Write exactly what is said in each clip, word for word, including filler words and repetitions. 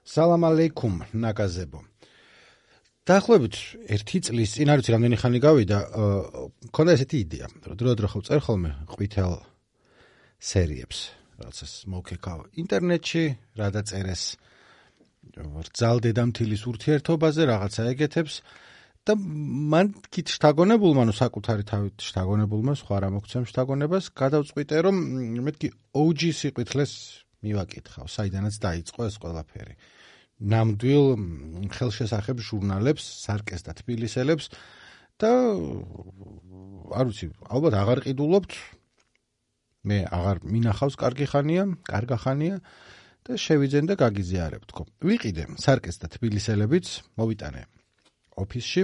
სალამ ალეიქუმ ნაგაზებო. დაახლოებით ერთი წლის წინ არ ვიცი რამდენი ხანი გავიდა, მქონდა ესეთი იდეა, რომ დრო-დრო ხო წერ ხოლმე ყვითელ სერიებს, რაღაცას მოვქეკავ ინტერნეტში, რა დაწერეს რძალ-დედამთილის ურთიერთობაზე, რაღაცა ეგეთებს და მან კით შთაგონებულმა, ნუ საკუთარი თავით შთაგონებულმა, სხვა რა მოგცემ შთაგონებას, გადავწყვიტე, რომ მეთქი O G სიყვითლეს მივაკითხავ, საიდანაც დაიწყო ეს ყველაფერი. ნამდვილ ხელშესახებ ჟურნალებს, სარკეს და თბილისელებს და არ ვიცი, ალბათ აღარ ყიდულობთ. მე აღარ მინახავს კარგი ხანია, კარგა ხანია და შევიძენ და გაგიზიარებ თქო. ვიყიდე სარკეს და თბილისელებიც, მოვიტანე ოფისში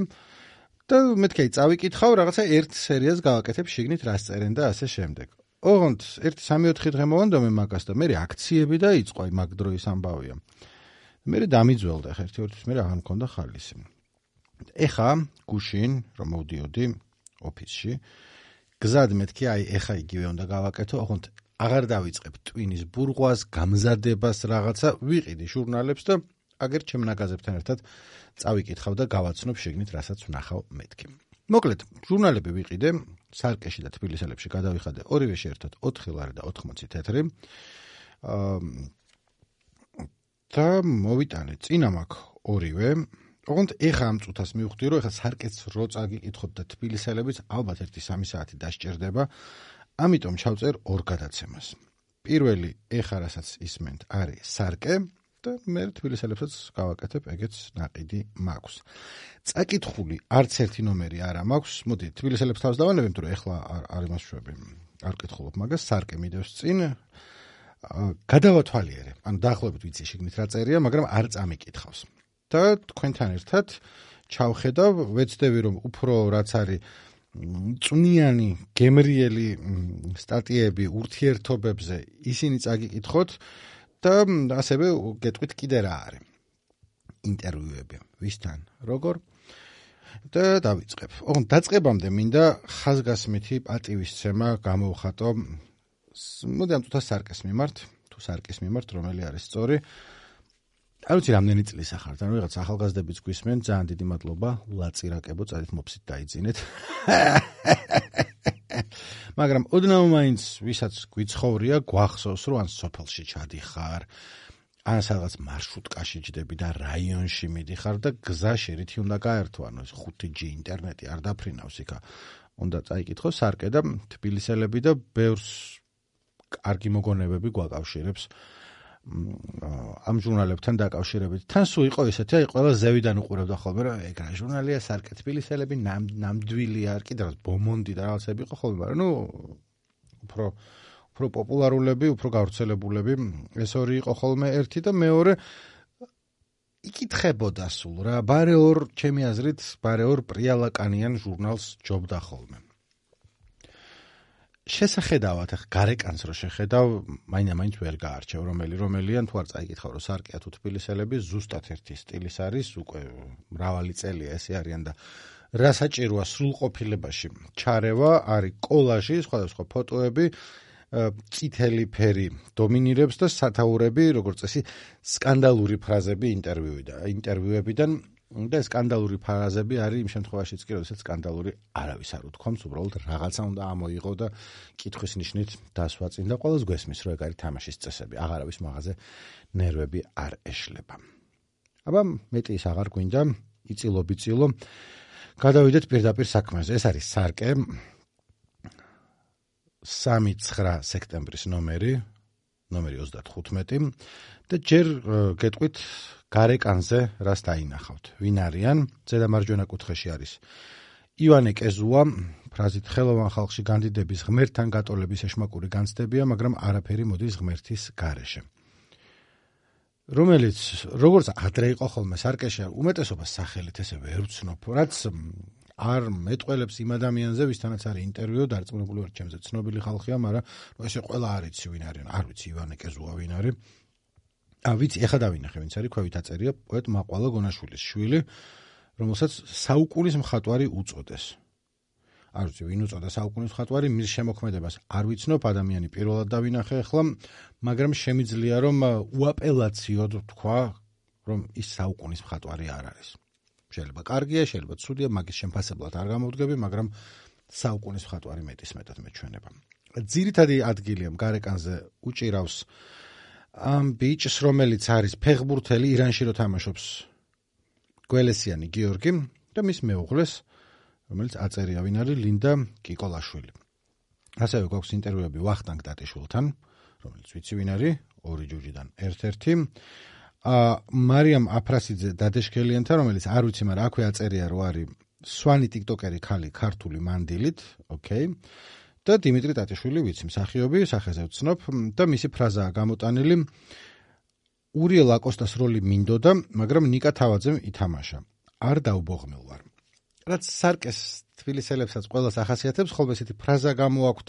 და მეთქი წავიკითხავ, რაღაცა ერთ სერიას გავაკეთებ შიგნით რას წერენ და ასე შემდეგ. ოღონდ ერთი სამი ოთხი დღე მოვანდომე მაგას და მე აქციები დაიწყო, აი მაგ დროის ამბავია. მე დამიძველდა ხა ერთი ორი თვის მე აღარ მქონდა ხალისი. ეხა გუშინ რომ მოვდიოდი ოფისში, გზად მეთქი აი ეხა იგივე უნდა გავაკეთო, ოღონდ აღარ დავიწყებ ტვინის ბურღვას, გამზადებას რაღაცა, ვიყიდი ჟურნალებს და აგერ ჩემ ნაგაზებთან ერთად წავიკითხავ და გავაცნობ შეგნით რასაც ვნახავ მეთქი. მოკლედ, ჟურნალები ვიყიდე, სარკეში და თბილისელებში გადავიხადე ორივეში ერთად ოთხი ლარი და ოთხმოცი თეთრი. და მოვიტანე წინა მაქვს ორივე. ოღონდ ეხა ამ წუთას მივხვდი, რომ ეხა სარკეც რო წაგიკითხოთ და თბილისელებიც ალბათ ერთი სამი საათი დასჭირდება. ამიტომ ჩავწერ ორ გადაცემას. პირველი ეხა რასაც ისმენთ არის სარკე და მე თბილისელებსაც გავაკეთებ, ეგეც ნაყიდი მაქვს. წაკითხული არც ერთი ნომერი არა მაქვს. მოდი თბილისელებს თავს დავანებებ, თუ ეხლა არ იმასშვები. არ კითხულობ მაგას, სარკე მიდევს წინ. გადავათვალიერე, ანუ დაახლოებით ვიცი შიგნით რა წერია, მაგრამ არ წამიკითხავს. და თქვენთან ერთად ჩავხედავ, ვეცდები რომ უფრო რაც არის წვნიანი, გემრიელი სტატიები ურთიერთობებზე ისინი წაგიკითხოთ და ასევე გეტყვით კიდე რა არის. ინტერვიუები, ვისთან, როგორ და დავიწყებ. ოღონდ დაწყებამდე მინდა ხაზგასმითი პატივისცემა გამოვხატო. მოდი ამ წუთას სარკეს მიმართ, თუ სარკის მიმართ, რომელი არის სწორი. არ ვიცი რამდენი წლის ახართ, ანუ რაღაც ახალგაზრდებიც გვისმენ, ძალიან დიდი მადლობა, ლაწირაკებო, წადით მოფსით დაიძინეთ. მაგრამ ოდნავ მაინც ვისაც გვიცხოვრია, გვახსოვს, რომ ან სოფელში ჩადიხარ, ან სადღაც მარშრუტკაში ჯდები და რაიონში მიდიხარ და გზაში რითი უნდა გაერთო, ანუ ხუთი ჯი ინტერნეტი არ დაფრინავს იქა. უნდა წაიკითხო სარკე და თბილისელები და ბევრს კარგი მოგონებები გვაკავშირებს ამ ჟურნალებთან დაკავშირებით. თან სულ იყო ისეთი, აი ყველა ზევიდან უყურებდა ხოლმე, რომ ეგ რა ჟურნალია, სარკე თბილისელები, ნამდვილია, არ კიდე რაღაც ბომონდი და რაღაცები იყო ხოლმე, მაგრამ ნუ უფრო უფრო პოპულარულები, უფრო გავრცელებულები, ეს ორი იყო ხოლმე ერთი და მეორე იკითხებოდა სულ რა, ბარე ორ ჩემი აზრით, ბარე ორ პრიალაკანიან ჟურნალს ჯობდა ხოლმე. შესახედავად ახ გარეკანს რო შეხედავ, მაინდა-მაინც ვერ გაარჩევ რომელი რომელიან, თუ არ წაიკითხავ რომ სარკეა თუ თბილისელები, ზუსტად ერთი სტილის არის, უკვე მრავალი წელია ესე არიან და რა საჭიროა სრულყოფილებაში ჩარევა, არის კოლაჟი, სხვადასხვა ფოტოები, წითელი ფერი დომინირებს და სათაურები, როგორც წესი, სკანდალური ფრაზები ინტერვიუებიდან და სკანდალური ფრაზები არის იმ შემთხვევაშიც კი, როდესაც სკანდალური არავის არ უთქვამს, უბრალოდ რაღაცა უნდა ამოიღო და კითხვის ნიშნით დასვა წინ და ყველას გვესმის, რომ ეგ არის თამაშის წესები, აღარავის მაღაზე ნერვები არ ეშლება. აბა მეტი ის აღარ გვინდა, იწილო-ბიწილო. გადავიდეთ პირდაპირ საქმეზე. ეს არის სარკე სამი ცხრა სექტემბრის ნომერი, ნომერი ოცდათხუთმეტი და ჯერ გეტყვით გარეკანზე რას დაინახავთ. ვინ არიან? ზედა მარჯვენა კუთხეში არის ივანე კეზუა, ფრაზით ხელოვან ხალხში განდიდების ღმერთთან გატოლების ეშმაკური განცდებია, მაგრამ არაფერი მოდის ღმერთის გარეშე. რომელიც როგორც ადრე იყო ხოლმე სარკეში, უმეტესობას სახელით ესე ვერ ვცნობ, რაც არ მეტყველებს იმ ადამიანზე, ვისთანაც არის ინტერვიუ, დარწმუნებული ვარ ჩემზე ცნობილი ხალხია, მაგრამ ესე ყველა არ იცი ვინ არის, არ ვიცი ივანე კეზუა ვინ არის. ა ვიცი, ეხა დავინახე, ვინც არის, ქვევით აწერია პოეტ მაყვალა გონაშვილის შვილი, რომელსაც საუკუნის მხატვარი უწოდეს. არ ვიცი, ვინ უწოდა საუკუნის მხატვარი, მის შემოქმედებას არ ვიცნობ, ადამიანი პირველად დავინახე ახლა, მაგრამ შემიძლია რომ უაპელაციოდ თქვა რომ ის საუკუნის მხატვარი არ არის. შეიძლება კარგია, შეიძლება ცუდია, მაგის შემფასებლად არ გამოვდგები, მაგრამ საუკუნის მხატვარი მეტის მეტად მეჩვენება. ძირითადი ადგილია გარეკანზე უჭირავს ამ ბიჭს, რომელიც არის ფეხბურთელი, ირანში რო თამაშობს გველესიანი გიორგი და მის მეუღლეს, რომელიც აწერია, ვინ არის ლინდა კიკოლაშვილი. ასევე გვაქვს ინტერვიუები ვახტანგ ტატიშვილთან, რომელიც ვიცი ვინ არის, ორი ჯუჯიდან ერთ-ერთი. მარიამ აფრასიძე დადეშქელიანთან, რომელიც არ ვიცი, მაგრამ აქვე აწერია, რომ არის სვანი ტიკტოკერი ქალი ქართული მანდილით, ოკეი. და დიმიტრი ტატიშვილი ვიცი, მსახიობი, სახეზე ვცნობ და მისი ფრაზაა გამოტანილი. ურიელ აკოსტას როლი მინდოდა, მაგრამ ნიკა თავაძემ ითამაშა. არ დაუბოღმილ ვარ. რაც სარკეს თბილისელებსაც ყველას ახასიათებს, ხოლმე ესეთი ფრაზა გამოაქვთ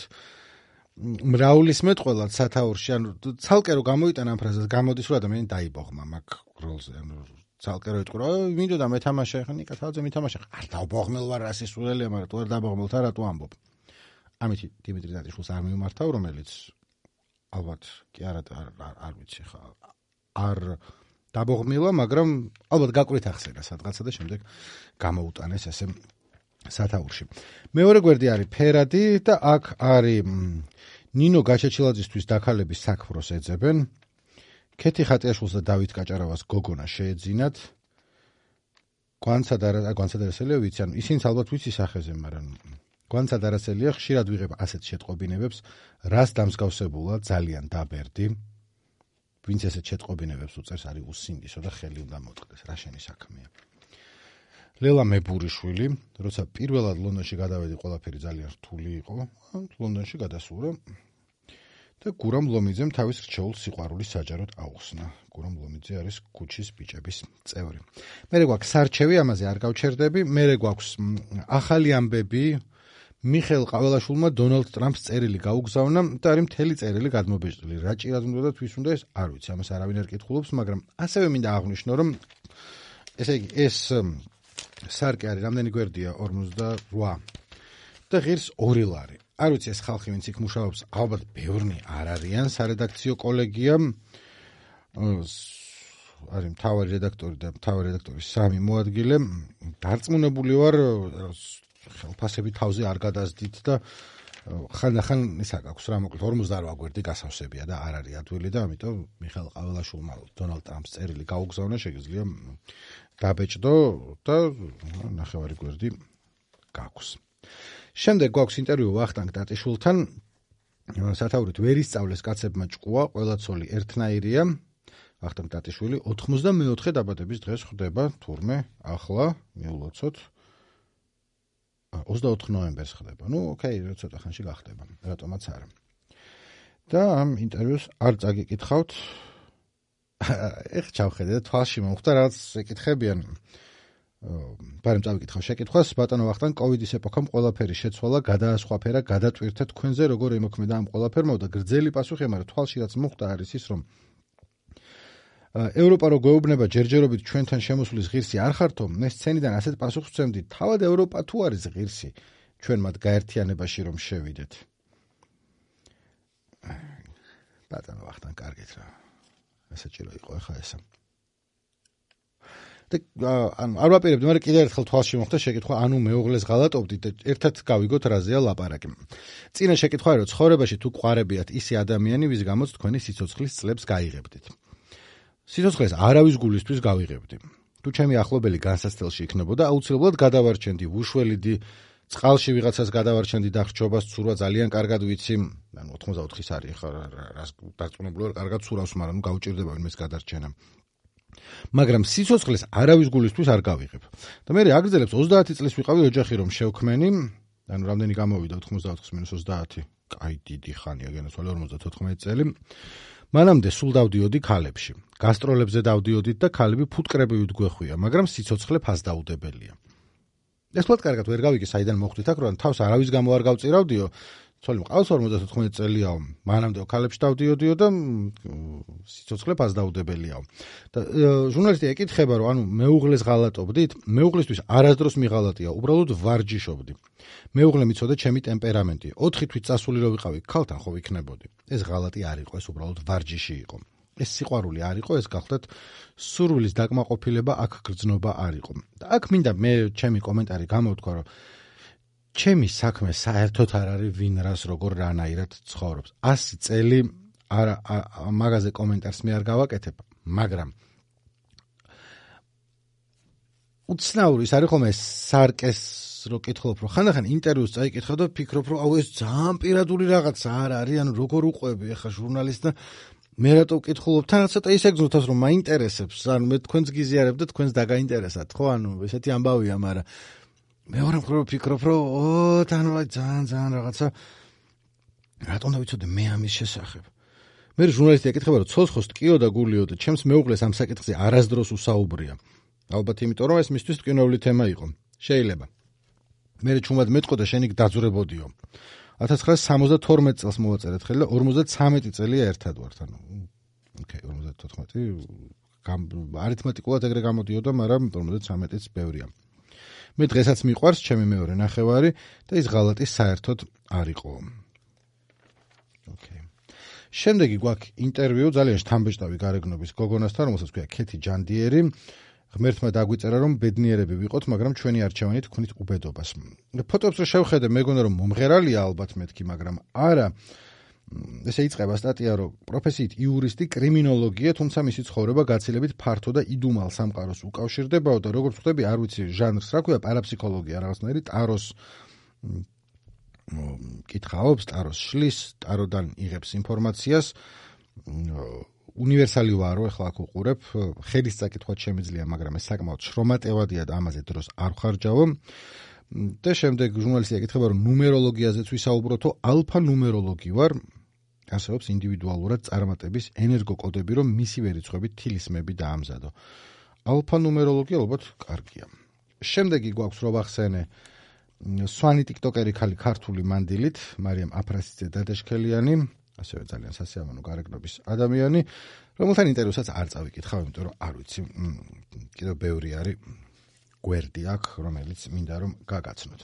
მრავლისმეტ ყველა სათაურში, ანუ ცალკე რო გამოიტანა ამ ფრაზას, გამოდის რომ ადამიანი დაიბოღმა მაგ როლზე, ანუ ცალკე რო იტყვა, მინდოდა მეთამაშა, ხა ნიკა თავაძემ ითამაშა. არ დაუბოღმილ ვარ, რა სისულელია, მაგრამ თუ არ დაუბოღმილ, რატო ამბობ? ამით დიმიტრი ტატიშვილს არ მიმართავ, რომელიც ალბათ კი არა არ ვიცი ხა არ დაბოღმილა, მაგრამ ალბათ გაკვირით ახსენა სადღაცა და შემდეგ გამოუტანეს ესე სათაურში. მეორე გვერდი არის ფერადი და აქ არის ნინო გაჩეჩილაძისთვის დაქალების საქმროს ეძებენ. ქეთი ხატიაშვილს და დავით კაჭარავას გოგონა შეეძინათ. გვანცადარასელია ვიცი, ანუ ისინიც ალბათ ვიცი სახეზე, მაგრამ გვანცადარასელია ხშირად ვიღებ ასეთ შეტყობინებებს, რას დამსგავსებულა ძალიან დაბერდი. ვინც ესეთ შეტყობინებებს უწევს, არის უსინდისო და ხელი უნდა მოწყდეს, რა შენი საქმეა. ლელა მებურიშვილი, როცა პირველად ლონდონში გადავედი, ყველაფერი ძალიან რთული იყო, ლონდონში გადასურა და გურამ ლომიძემ თავის რჩეულ სიყვარულის საჯაროდ აუხსნა. გურამ ლომიძე არის ქუჩის ბიჭების წევრი. მერე გვაქვს სარჩევი, ამაზე არ გავჩერდები, მერე გვაქვს ახალი ამბები, მიხეილ ყაველაშვილმა დონალდ ტრამპს წერილი გაუგზავნა და არის მთელი წერილი გადმობეჭდილი. რა ჭირად უნდა და თვის უნდა ეს არ ვიცი, ამას არავინ არ კითხულობს, მაგრამ ასევე მინდა აღვნიშნო, რომ ესე იგი ეს სარკე არის რამდენი გვერდია ორმოცდაოთხ და ღირს ორი ლარი. არ ვიცი ეს ხალხი ვინც იქ მუშაობს, ალბათ ბევრნი არ არიან სარედაქციო კოლეგია. არის მთავარი რედაქტორი და მთავარი რედაქტორის სამი მოადგილე. დარწმუნებული ვარ ხელფასები თავზე არ გადაზდით და ხანდახან ისა გაქვს რა მოკლედ ორმოცდაოთხ გვერდი გასავსებია და არ არის ადვილი და ამიტომ მიხეილ ყაველაშვილმა დონალდ ტრამპს წერილი გაუგზავნა, შეგიძლია დაბეჭდო და ნახევარი გვერდი გაქვს. შემდეგ გვაქვს ინტერვიუ ვახტანგ ტატიშვილთან. სათაურით ვერ ისწავლეს კაცებმა ჭკუა, ყველა ცოლი ერთნაირია. ვახტანგ ტატიშვილი ოთხმოცდამეოთხე დაბადების დღეს ხვდება თურმე ახლა მიულოცოთ ოცდაოთხ ნოემბერს ხდება. ნუ ოკეი, ცოტა ხანში გახდება, რატომაც არა. და ამ ინტერვიუს არ წაგიკითხავთ. ეხ ჩავხედე და თვალში მომხვდა რაღაც ეკითხებიან. ბარემ წავიკითხავ შეკითხვას, ბატონო ვახტანგ, კოვიდის ეპოქამ ყველაფერი შეცვალა, გადაასხვაფერა, გადატვირთა თქვენზე, როგორ ემოქმედა ამ ყველაფერმა და გრძელი პასუხი, მაგრამ თვალში რაც მოხვდა არის ის, რომ ევროპა რო გვეუბნება ჯერჯერობით ჩვენთან შემოსulis ღირსი არ ხართო, ეს სცენიდან ასეთ პასუხს ვცემდით, თავად ევროპა თუ არის ღირსი, ჩვენ მათ გაერთიანებაში რომ შევიდეთ. ბატონო ვახტანგ, კარგით რა. ესეჭირო იყო ხა ესა. და ანუ არ ვაპირებდი, მაგრამ კიდევ ერთხელ თვალში მოხდა შეკითხვა, ანუ მეუღლეს ღალატობდით და ერთად გავიგოთ რაზეა ლაპარაკი. წინა შეკითხვა იყო, ცხოვრებაში თუ გვყარებიათ ისე ადამიანი, ვის გამოც თქვენი სიცოცხლის წლებს გაიღებდით. სიცოცხლეს არავის გულისთვის გავიღებდი. თუ ჩემი ახლობელი განსაცდელში იქნებოდა, აუცილებლად გადავარჩენდი უშველიდი, წყალში ვიღაცას გადავარჩენდი და ხრჩობას ცურვა ძალიან კარგად ვიცი, ანუ ოთხმოცდაოთხის არის ხა რას დარწმუნებული ვარ, კარგად ცურავს, მაგრამ ნუ გაუჭირდება ვინმეს გადარჩენა. მაგრამ სიცოცხლეს არავის გულისთვის არ გავიღებ. და მე აგრძელებს ოცდაათი წლის ვიყავი ოჯახი რომ შევქმენი, ანუ რამდენი გამოვიდა ოთხმოცდაოთხ მინუს ოცდაათი, კაი დიდი ხანია, განაცვალე ორმოცდათოთხმეტი წელი. მანამდე სულ დავდიოდი ქალებში. გასტროლებზე დავდიოდით და ქალები ფუტკრებივით გვეხვია, მაგრამ სიცოცხლე ფასდაუდებელია. ეს თვათ კარგად ვერ გავიგე, საიდან მოხვდით აქ, რომ თავს არავის გამო არ გავწირავდიო. ცოლი მყავს ორმოცდათოთხმეტი წელიაო, მანამდე ქალებში დავდიოდიო და სიცოცხლე ფასდაუდებელიაო. და ჟურნალისტი ეკითხება, რომ ანუ მეუღლეს ღალატობდით? მეუღლისთვის არასდროს მიღალატია, უბრალოდ ვარჯიშობდი. მეუღლე მიცოდა ჩემი ტემპერამენტი. ოთხი თვით წასული რო ვიყავი, ქალთან ხო ვიქნებოდი. ეს ღალატი არ იყო, ეს უბრალოდ ვარჯიში იყო. ეს სიყვარული არ იყო, ეს გახლდათ სურვილის დაკმაყოფილება, აქ გრძნობა არ იყო. და აქ მინდა მე ჩემი კომენტარი გამოვთქვა, რომ ჩემი საქმე საერთოდ არ არის ვინ რას როგორ რანაირად ცხოვრობს. ასი წელი არ მაგაზე კომენტარს მე არ გავაკეთებ, მაგრამ უცნაური ის არის ხოლმე სარკეს რო კითხულობ, რომ ხანდახან ინტერვიუს წაიკითხავ და ფიქრობ, რომ აუ ეს ძალიან პირადული რაღაცა არ არის, ანუ როგორ უყვები ახლა ჟურნალისტს და მე რატო ვკითხულობ, თან ცოტა ისეგზნოთ, რომ მაინტერესებს, ანუ მე თქვენს გიზიარებ და თქვენს დაგაინტერესათ, ხო, ანუ ესეთი ამბავია, მაგრამ მეორე მხრივ ვფიქრობ, რომ ო, თან ძალიან ძალიან რაღაცა რატომ დავიცოდე მე ამის შესახებ. მე ჟურნალისტი ეკითხება, რომ ცოცხოს ტკიო და გულიო და ჩემს მეუღლეს ამ საკითხზე არასდროს უსაუბრია. ალბათ იმიტომ, რომ ეს მისთვის ტკივნეული თემა იყო. შეიძლება. მე ჩუმად მეტყო და შენი დაძვრებოდიო. ათას ცხრაასი სამოცდათორმეტი წელს მოვაწერეთ ხელი და ორმოცდათვრამეტი წელია ერთად ვართ, ანუ ოკეი, ორმოცდათოთხმეტი არითმეტიკულად ეგრე გამოდიოდა, მაგრამ ორმოცდათვრამეტიც ბევრია. მე დღესაც მიყვარს ჩემი მეორე ნახევარი და ის ღალატი საერთოდ არ იყო. ოკეი. შემდეგი გვაქვს ინტერვიუ ძალიან შთამბეჭდავი გარეგნობის გოგონასთან, რომელსაც ქვია ქეთი ჯანდიერი. ღმერთმა დაგვიწერა, რომ ბედნიერები ვიყოთ, მაგრამ ჩვენი არჩევანი თქვენით უბედობას. ფოტოებს რო შევხედე, მეგონა რომ მომღერალია ალბათ მეთქი, მაგრამ არა. ესე იწყება სტატია, რომ პროფესიით იურისტი, კრიმინოლოგია, თუმცა მისი ცხოვრება გაცილებით ფართო და იდუმალ სამყაროს უკავშირდებაო და როგორც ხვდები, არ ვიცი ჟანრს რა ქვია, პარაფსიქოლოგია რაღაცნაირი, ტაროს კითხაობს, ტაროს შლის, ტაროდან იღებს ინფორმაციას. უნივერსალი ვარო, ახლა აქ უყურებ, ხედის წაკითხვა შემიძლია, მაგრამ ეს საკმაოდ შრომატევადია და ამაზე დროს არ ვხარჯავო. და შემდეგ ჟურნალისტი ეკითხება, რომ ნუმეროლოგიაზეც ვისაუბროთო, ალფა ნუმეროლოგი ვარ, არსებობს ინდივიდუალურად წარმატების ენერგოკოდები, რომ მისივე რიცხვებით თილისმები დაამზადო. ალფა ნუმეროლოგია ალბათ კარგია. შემდეგი გვაქვს რო ვახსენე სვანი ტიკტოკერი ხალი ქართული მანდილით, მარიამ აფრასიძე დადაშქელიანი, ასევე ძალიან სასიამოვნო გარეგნობის ადამიანი, რომელთან ინტერვიუსაც არ წავიკითხავ, იმიტომ რომ არ ვიცი, კიდევ ბევრი არის გვერდი აქ, რომელიც მინდა რომ გაგაცნოთ.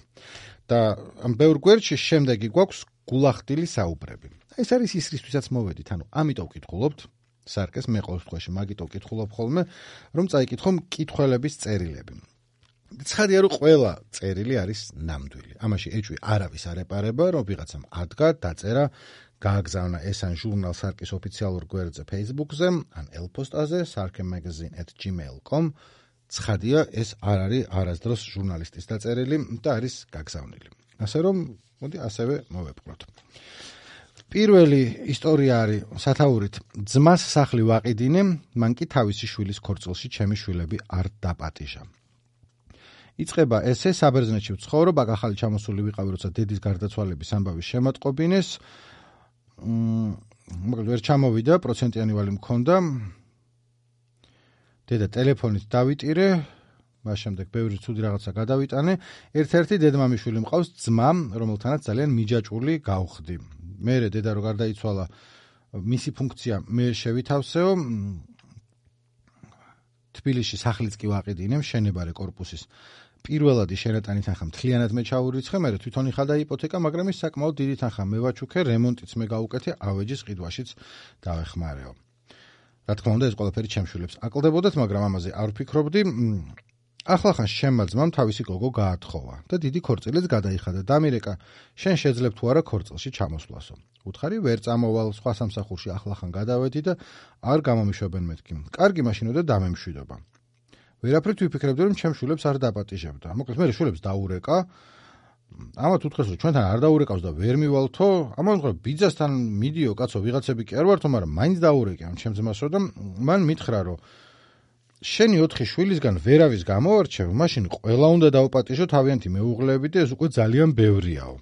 და ამ ბევრ გვერდში შემდეგი გვაქვს გულახდილი საუბრები. ეს არის ის რისთვისაც მოვედით, ანუ ამიტომ ვკითხულობთ, სარკეს მე ყოველ შემთხვევაში მაგითო ვკითხულობ ხოლმე, რომ წაიკითხო მკითხველების წერილები. ცხადია, რომ ყველა წერილი არის ნამდვილი. ამაში ეჭვი არავის არ ეპარება, რომ ვიღაცამ ადგა, დაწერა, გააგზავნა ეს ან ჟურნალ სარკის ოფიციალურ გვერდზე Facebook-ზე, ან ელპოსტაზე sarkemagazine at gmail dot com. ცხადია, ეს არ არის არასდროს ჟურნალისტის დაწერილი და არის გაგზავნილი. ასე რომ, მოდი ასევე მოვეპყროთ. პირველი ისტორია არის სათაურით ძმას სახლი ვაყიდინე, მან კი თავისი შვილის ქორწილში ჩემი შვილები არ დაპატიჟა. იწყება ესე, საბერძნეთში ვცხოვრობ, აქ ახალი ჩამოსული ვიყავი, როცა დედის გარდაცვალების ამბავი შემატყობინეს. მაგრამ ვერ ჩამოვიდა, პროცენტიანი ვალი მქონდა. დედა ტელეფონით დავიტირე, მას შემდეგ ბევრი ცუდი რაღაცა გადავიტანე. ერთ-ერთი დედმამიშვილი მყავს ძმა, რომელთანაც ძალიან მიჯაჭვული გავხდი. მერე დედა რო გარდაიცვალა, მისი ფუნქცია მე შევითავსეო. თბილისში სახლიც კი ვაყიდინე, მშენებარე კორპუსის პირველადი შენატანი თანხა მთლიანად მე ჩაურიცხე, მე თვითონ იხადა იპოთეკა, მაგრამ ის საკმაოდ დიდი თანხა მე ვაჩუქე, რემონტიც მე გავუკეთე, ავეჯის ყიდვაშიც დავეხმარეო. რა თქმა უნდა, ეს ყველაფერი ჩემს შვილებს აკლდებოდათ, მაგრამ ამაზე არ ვფიქრობდი. ახლახან შემმა ძმამ თავისი გოგო გაათხოვა და დიდი ქორწილიც გადაიხადა. დამირეკა, შენ შეძლებ თუ არა ქორწილში ჩამოსვლასო. უთხარი, ვერ წამოვალ, სხვა სამსახურში ახლახან გადავედი და არ გამომიშვებენ მეთქი. კარგი მაშინო და დამემშვიდობა. ვერაფრით ვიფიქრებდი, რომ ჩემს შვილებს არ დაპატიჟებდა. მოკლედ, მე შვილებს დაურეკა. ამათ უთხრეს, რომ ჩვენთან არ დაურეკავს და ვერ მივალთო. ამას ვთქვა, ბიძასთან მიდიო, კაცო, ვიღაცები კი არ ვართო, მაგრამ მაინც დაურეკე ამ ჩემს ძმასო და მან მითხრა, რომ შენი ოთხი შვილისგან ვერავის გამოვარჩევ, მაშინ ყველა უნდა დავაპატიჟო თავიანთი მეუღლეები და ეს უკვე ძალიან ბევრიაო.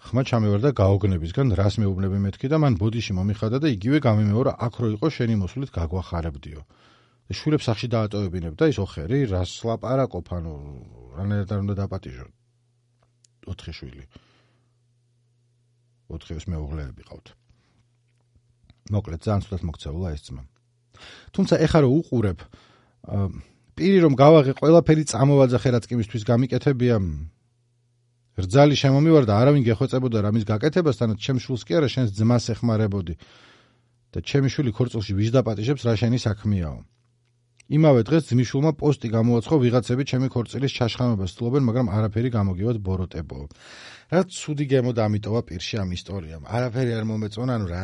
ხმა ჩამევარ და გაოგნებისგან რას მეუბნები მეთქი და მან ბოდიში მომიხადა და იგივე გამიმეორა, აქ რო იყო შენი მოსვლით გაგვახარებდიო. შვილებს სახში დაატოვებინებ და ის ოხერი რას ლაპარაკობ, ანუ რანაირად არ უნდა დაპატიჟო. ოთხი შვილი. ოთხივეს მეუღლეები ყავთ. მოკლედ, ძალიან ცუდად მოქცეულა ეს ძმა. თუმცა ეხლა რო უყურებ, პირი რომ გავაღე ყველაფერი წამოვაძახე რაც კი მისთვის გამიკეთებია, რძალი შემომივარ და არავინ გეხვეწებოდა რამის გაკეთებას, თანაც ჩემს შვილს კი არა, შენს ძმას ეხმარებოდი. და ჩემი შვილი ქორწილში ვიჟდაპატიჟებს რა შენი საქმეაო. იმავე დღეს ძმისშვილმა პოსტი გამოაცხო ვიღაცები ჩემი ქორწილის ჩაშხამებას ცდილობენ, მაგრამ არაფერი გამოგივათ ბოროტებო. რა ცუდი გემო დამიტოვა პირში ამ ისტორიამ. არაფერი არ მომეწონა, ანუ რა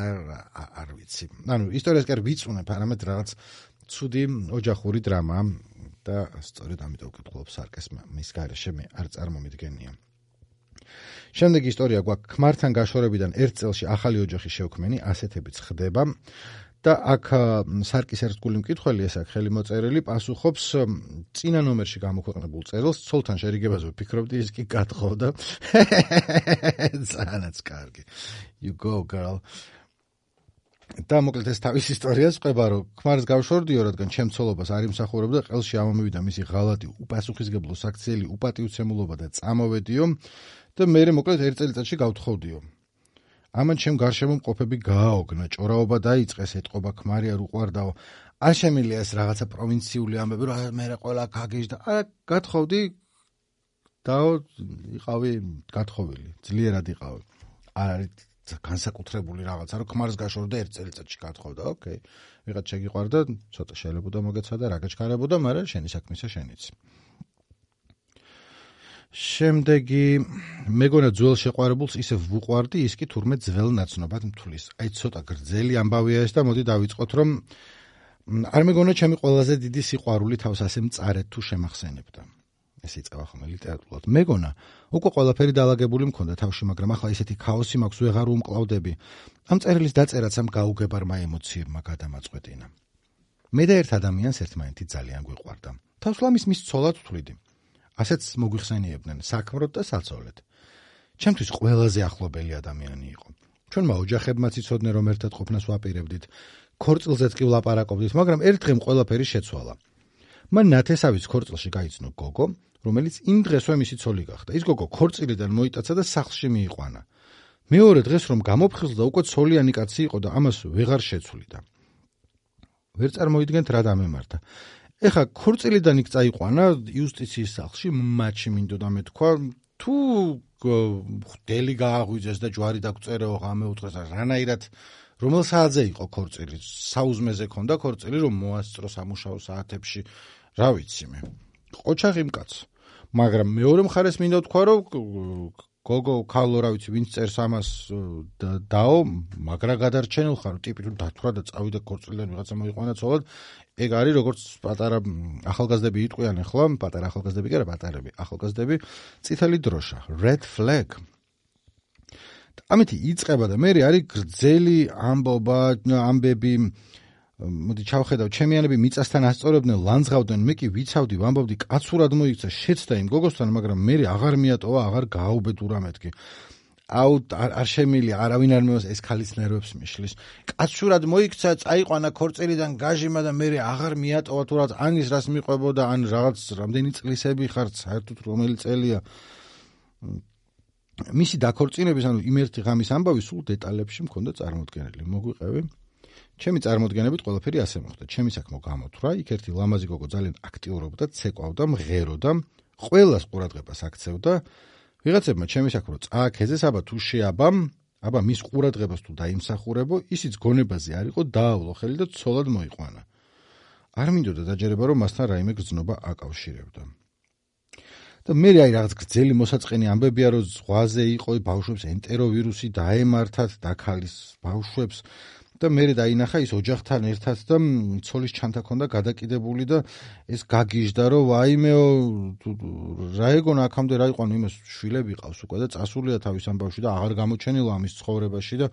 არ ვიცი. ანუ ისტორიას კი არ ვიწუნებ, არამედ რაღაც ცუდი ოჯახური დრამა და სწორედ ამიტომ ვკითხულობ სარკეს მის გარეშე მე არ წარმომიდგენია. შემდეგი ისტორია გვაქვს ქმართან გაშორებიდან ერთ წელში ახალი ოჯახი შევქმენი, ასეთებიც ხდება. და აქ სარკის ერთგული მკითხველი ეს აქ ხელმოწერილი პასუხობს წინა ნომერში გამოქვეყნებულ წერილს, ცოლთან შერიგებაზე ვფიქრობდი, ის კი გათხოვდა. ძალიან კარგი. You go girl. და მოკლედ ეს თავის ისტორიას ყვება, რომ ქმარს გავშორდიო, რადგან ჩემ ცოლობას არ იმსახურებდა, ყელში ამომივიდა მისი ღალატი, უპასუხისმგებლო საქციელი უპატივცემულობა და წამოვედიო და მე მოკლედ ერთ წელიწადში გავთხოვდიო. ამან ჩემ გარშემო მყოფები გააოგნა, ჭორაობა დაიწყეს, ეთყობა ქმარი არ უყვარდაო. არ შემიძლია ეს რაღაცა პროვინციული ამბები, რომ მე ყველა გაგეჟდა. არა, გათხოვდი დაო, იყავი გათხოვილი, ძლიერად იყავი. არ არის განსაკუთრებული რაღაცა, რომ ქმარს გაშორდა ერთ წელიწადში გათხოვდა, ოკეი. ვიღაც შეგიყვარდა, ცოტა შელებოდა მოგეცადა, რა გაჩქარებოდა, მაგრამ შენი საქმისა შენიც. შემდეგი მეგონა ძველ შეყვარებულს ისე ვუყვარდი, ის კი თურმე ძველ ნაცნობად მთulis. აი ცოტა გრძელი ამბავია ეს და მოდი დავიწყოთ, რომ არ მეგონა ჩემი ყველაზე დიდი სიყვარული თავს ასე მწარედ თუ შემახსენებდა. ეს იწევა ხოლმე ლიტერატურულად. მეგონა უკვე ყველაფერი დაალაგებული მქონდა თავში, მაგრამ ახლა ისეთი ქაოსი მაქვს, ვეღარ უმკლავდები. ამ წერილის დაწერაც ამ გაუგებარმა ემოციებმა გადამაწყვეტინა. მე და ერთ ადამიანს ერთმანეთი ძალიან გვიყვარდა. თავს ლამის მის ცოლად ვთვლიდი. ასეც მოგვიხსენიებდნენ საქმროდ და საცოლედ. ჩემთვის ყველაზე ახლობელი ადამიანი იყო. ჩვენმა ოჯახებმაც იცოდნენ, რომ ერთად ყოფნას ვაპირებდით. ქორწილზეც კი ვლაპარაკობდით, მაგრამ ერთ დღემ ყველაფერი შეცვალა. მან ნათესავის ქორწილში გაიცნო გოგო, რომელიც იმ დღესვე მისი ცოლი გახდა. ის გოგო ქორწილიდან მოიტაცა და სახლში მიიყვანა. მეორე დღეს რომ გამოფხიზლდა, უკვე ცოლიანი კაცი იყო და ამას ვეღარ შეცვლიდა. ვერ წარმოიდგენთ რა დამემართა. ეხა ქორწილიდან იქ წაიყვანა იუსტიციის სახლში, მათში მინდოდა მეთქვა, თუ ხდელი გააღვიძეს და ჯვარი დაგწერეო, ღამე უთხრეს, რანაირად რომელ საათზე იყო ქორწილი? საუზმეზე ქონდა ქორწილი, რომ მოასწრო სამუშაო საათებში, რა ვიცი მე. ყოჩაღი მკაც. მაგრამ მეორე მხარეს მინდა ვთქვა, რომ გოგო ქალო, რა ვიცი, ვინც წერს ამას დაო, მაგრა გადარჩენილ ხარ, ტიპი თუ დათვრა და წავიდა ქორწილიდან ვიღაცა მოიყვანა ცოლად, ეგ არის როგორც პატარა ახალგაზრდები იტყვიან ახლა, პატარა ახალგაზრდები კი არა, პატარები, ახალგაზრდები, წითელი დროშა, red flag. ამით იწყება და მე არის გრძელი ამბობა, ამბები, მოდი ჩავხედავ, ჩემიანები მიწასთან ასწორებდნენ, ლანძღავდნენ, მე კი ვიცავდი, ვამბობდი, კაცურად მოიქცა, შეცდა იმ გოგოსთან, მაგრამ მე აღარ მიატოვა, აღარ გააუბედურა მეთქი. აუ არ შემილია, არავინ არ მეოს ეს ქალის ნერვებს მიშლის. კაცურად მოიქცა, წაიყვანა ქორწილიდან გაჟიმა და მე აღარ მიატოვა თუ რაღაც ანის რას მიყვებოდა, ან რაღაც რამდენი წლისები ხარ, საერთოდ რომელი წელია. მისი დაქორწინების, ანუ იმ ერთი ღამის ამბავი სულ დეტალებში მქონდა წარმოდგენილი. მოგვიყევი? ჩემი წარმოდგენებით ყველაფერი ასე მოხდა. ჩემი საქმო გამოთვრა, იქ ერთი ლამაზი გოგო ძალიან აქტიურობდა, ცეკვავდა, მღეროდა, ყველას ყურადღებას აქცევდა. ვიღაცებმა ჩემი საქმრო წააქეზეს, აბა თუ შეაბამ, აბა მის ყურადღებას თუ დაიმსახურებო, ისიც გონებაზე არ იყო, დაავლო ხელი და ცოლად მოიყვანა. არ მინდოდა დაჯერება, რომ მასთან რაიმე გრძნობა აკავშირებდა. და მე აი რაღაც გრძელი მოსაწყენი ამბებია, რომ ზღვაზე იყო, ბავშვებს ენტეროვირუსი დაემართათ, დაქალის ბავშვებს და მე დაინახა ის ოჯახთან ერთად და ცოლის ჩანთა ქონდა გადაკიდებული და ეს გაგიჟდა, რომ ვაიმეო, რა ეგონა აქამდე რა იყვანო, იმას შვილები ყავს უკვე და წასულია თავის ამბავში და აღარ გამოჩენილა ამის ცხოვრებაში და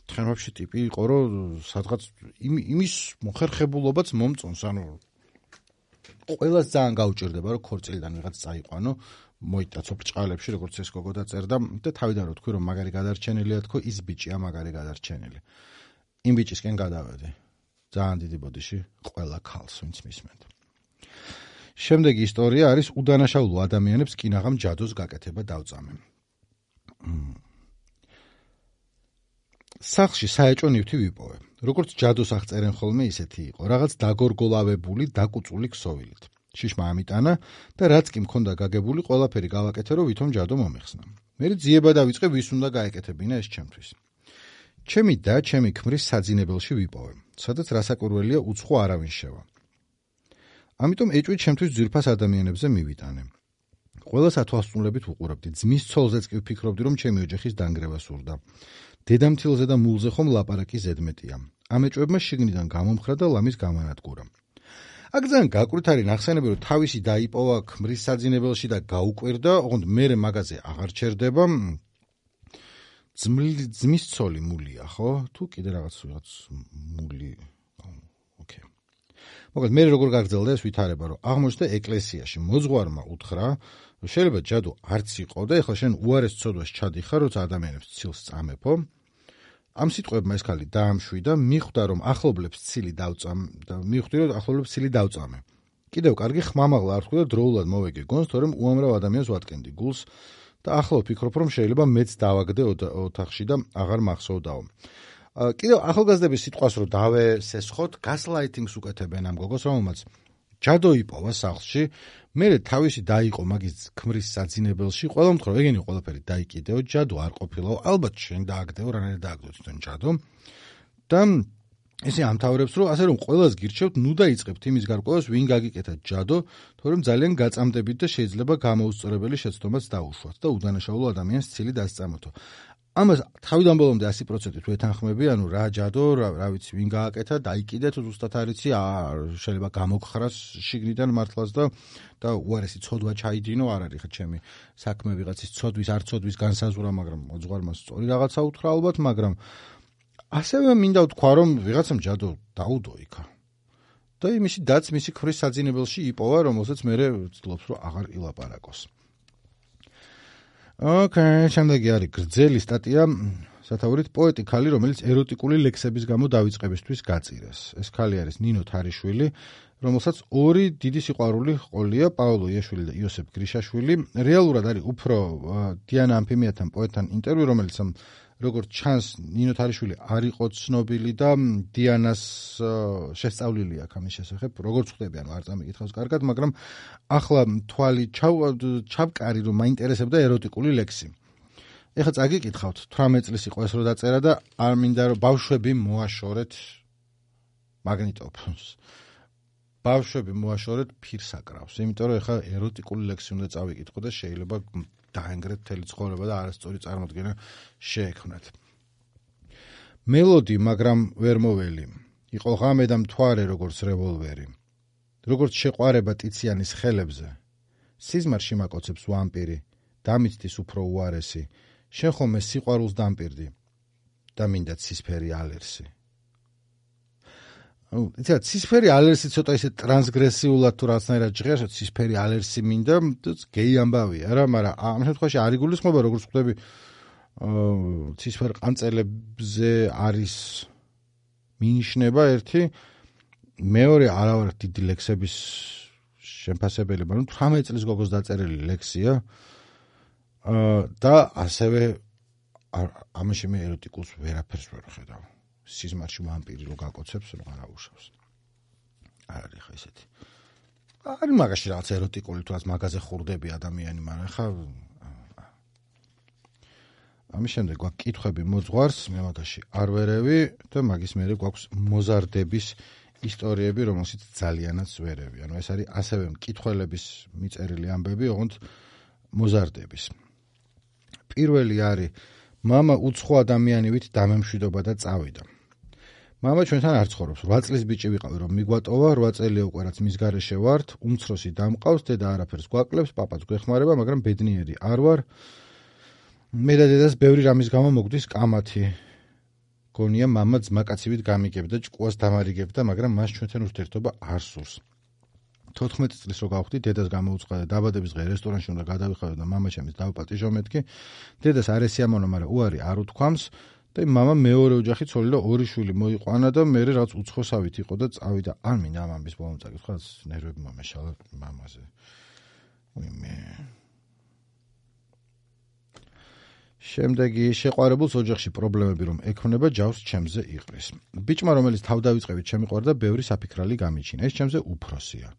თხემებში ტიპი იყო, რომ სადღაც იმის მოხერხებულობაც მომწონს, ანუ ყველას ძალიან გაუჭირდება, რომ ქორწილიდან ვიღაც წაიყვანო, მოიტაცო ბრჭყალებში, როგორც ეს გოგო დაწერდა და თავიდან რო თქვი, რომ მაგარი გადარჩენილია, თქო, ის ბიჭია მაგარი გადარჩენილი. იმ ბიჭისკენ გადავედი. ძალიან დიდი ბოდიში ყველა ქალს, ვინც მისმენთ. შემდეგი ისტორია არის უდანაშაულო ადამიანებს კინაღამ ჯადოს გაკეთება დავწამე. სახლში საეჭვო ნივთი ვიპოვე. როგორც ჯადოს აღწერენ ხოლმე, ისეთი იყო. რაღაც დაგორგოლავებული, დაკუწული ქსოვილით. შიშმა ამიტანა და რაც კი მქონდა გაგებული, ყველაფერი გავაკეთე, რომ ვითომ ჯადო მომეხსნა. მე ძიება დავიწყე, ვის უნდა გაეკეთებინა ეს ჩემთვის. ჩემი და ჩემი ქმრის საძინებელში ვიპოვე, სადაც რასაკვირველია უცხო არავინ შევა. ამიტომ ეჭვი ჩემთვის ძვირფას ადამიანებზე მივიტანე. ყველას ათვალსწრებით უყურებდი, ძმის ცოლზეც კი ვფიქრობდი, რომ ჩემი ოჯახის დანგრევა სურდა. დედამთილზე და მულზე ხომ ლაპარაკი ზედმეტია. ამ ეჭვებმა შიგნიდან გამომხრა და ლამის გამანადგურა. აქ ძალიან გაკვირთარი ნახსენები, რომ თავისი დაიპოვა ქმრის საძინებელში და გაუკვირდა, ოღონდ მერე მაგაზე აღარ ჩერდება. ძმის ცოლი მულია, ხო? თუ კიდე რაღაც რაღაც მული. ოკეი. მოკლედ მე როგორ გაგრძელდა ეს ვითარება, რომ აღმოჩნდა ეკლესიაში მოძღვარმა უთხრა, რომ შეიძლება ჯადო არც იყო და ეხლა შენ უარეს ცოდვას ჩადიხარ, როცა ადამიანებს ცილს წამეფო. ამ სიტყვებმა ეს ქალი დაამშვიდა, მიხვდა რომ ახლობლებს ცილი დავწამ და მიხვდი რომ ახლობლებს ცილი დავწამე. კიდევ კარგი ხმამაღლა არ ხვდი და დროულად მოვეგე გონს, თორემ უამრავ ადამიანს ვატკენდი გულს და ახლა ვფიქრობ რომ შეიძლება მეც დავაგდე ოთახში და აღარ მახსოვდაო. კიდევ ახალგაზრდების სიტყვას რომ დავესესხოთ, გასლაითინგს უკეთებენ ამ გოგოს, რომელმაც ჯადო იპოვა სახლში, მერე თავისი დაიყო მაგის ქმრის საძინებელში, ყველა მხრივ ეგენი ყველაფერი დაიკიდეო, ჯადო არ ყოფილაო, ალბათ შენ დააგდეო, რანაირად დააგდო თვითონ ჯადო. და ესე ამთავრებს, რომ ასე რომ ყველას გირჩევთ, ნუ დაიწყებთ იმის გარკვევას, ვინ გაგიკეთა ჯადო, თორემ ძალიან გაწამდებით და შეიძლება გამოუსწორებელი შეცდომაც დაუშვათ და უდანაშაულო ადამიანს ცილი დასწამოთო. ამას თავიდან ბოლომდე ასი პროცენტით ვეთანხმები, ანუ რა ჯადო, რა, რა ვიცი, ვინ გააკეთა, დაიკიდეთ, ზუსტად არ იცი, შეიძლება გამოგხრას შიგნიდან მართლაც და და უარესი ცოდვა ჩაიდინო, არ არის ხა ჩემი საქმე ვიღაცის ცოდვის, არ ცოდვის განსაზღვრა, მაგრამ მოძღვარმა სწორი რაღაცა უთხრა ალბათ, მაგრამ ასევე მინდა ვთქვა, რომ ვიღაცამ ჯადო დაუდო იქა. და იმისი დაც მისი ქმრის საძინებელში იპოვა, რომელსაც მერე ვცდილობს, რომ აღარ ილაპარაკოს. ოკეი, შემდეგი არის გრძელი სტატია, სათაურით პოეტი ქალი, რომელიც ეროტიკული ლექსების გამო დავიწყებისთვის გაწირეს. ეს ქალი არის ნინო თარიშვილი, რომელსაც ორი დიდი სიყვარული ჰყოლია, პაოლო იაშვილი და იოსებ გრიშაშვილი. რეალურად არის უფრო დიანა ამფიმიათან პოეტთან ინტერვიუ, რომელიც როგორც ჩანს, ნინო თარიშვილი არ იყო ცნობილი და დიანას შესწავლილი აქვს ამის შესახებ, როგორც ხვდები, ანუ არ წამიკითხავს კარგად, მაგრამ ახლა თვალი ჩავკარი, რომ მაინტერესებდა ეროტიკული ლექსი. ეხლა წაგიკითხავთ, თვრამეტ წლის იყო ეს რო დაწერა და არ მინდა რომ ბავშვები მოაშორეთ მაგნიტოფონს. ბავშვები მოაშორეთ ფირსაკრავს, იმიტომ რომ ეხლა ეროტიკული ლექსი უნდა წავიკითხო და შეიძლება დაენგრეთ მთელი ცხოვრება და არასწორი წარმოდგენა შეექმნათ. მელოდი, მაგრამ ვერ მოველი. იყო ღამე და მთვარე როგორც რევოლვერი. როგორც შეყვარება ტიციანის ხელებზე. სიზმარში მაკოცებს ვამპირი, დამიცდის უფრო უარესი. შენ ხომ ეს სიყვარულს დამპირდი და მინდა ცისფერი ალერსი. იცი, ცისფერი ალერსი ცოტა ისე ტრანსგრესიულად თუ რაღაცნაირად ჟღერს, ცისფერი ალერსი მინდა, გეი ამბავია რა, მაგრამ ამ შემთხვევაში არ იგულისხმება, როგორც ხვდები, ცისფერ ყანწელებზე არის მინიშნება ერთი, მეორე არავარ დიდი ლექსების შემფასებელი, მაგრამ თვრამეტ წლის გოგოს დაწერილი ლექსია და ასევე ამაში მე ეროტიკულს ვერაფერს ვერ ხედავ. სიზმარში ვამპირი რო გაკოცებს, რო არ აუშავს. არ არის ხა ესეთი. არის მაგაში რაღაც ეროტიკული თუ რაც მაგაზე ხურდები ადამიანი, მაგრამ ხა ამის შემდეგ გვაქვს კითხვები მოძღვარს, მე მაგაში არ ვერევი და მაგის მერე გვაქვს მოზარდების ისტორიები, რომელშიც ძალიანაც ვერევი. ანუ ეს არის ასევე მკითხველების მიწერილი ამბები, ოღონდ მოზარდების. პირველი არის მამა უცხო ადამიანივით დამემშვიდობა და წავიდა. მამა ჩვენთან არ ცხოვრობს. რვა წლის ბიჭი ვიყავი, რომ მიგვატოვა, რვა წელია უკვე რაც მის გარეშე ვართ, უმცროსი დამყავს, დედა არაფერს გვაკლებს, პაპაც გვეხმარება, მაგრამ ბედნიერი არ ვარ. მე და დედას ბევრი რამის გამო მოგდის კამათი. გონია მამა ძმაკაცივით გამიგებდა, ჭკუას დამარიგებდა, მაგრამ მას ჩვენთან ურთიერთობა არ სურს. თოთხმეტი წლის რო გავხდი, დედას გამოუწყდა დაბადების დღე რესტორანში უნდა გადავიხადო და მამა ჩემის დავპატიჟო მეთქი. დედას არ ესიამოვნო, მაგრამ უარი არ უთქვამს და მამა მეორე ოჯახი ცოლი და ორი შვილი მოიყვანა და მე რაღაც უცხოსავით იყო და წავიდა. არ მინდა ამ ამბის ბოლომდე წაკითხვა, ნერვები მომეშალა მამაზე. მე შემდეგი შეყვარებულს ოჯახში პრობლემები რომ ექნება, ჯავს ჩემზე იყრის. ბიჭმა, რომელიც თავდავიწყებით შემიყვარდა, ბევრი საფიქრალი გამიჩინა. ეს ჩემზე უფროსია.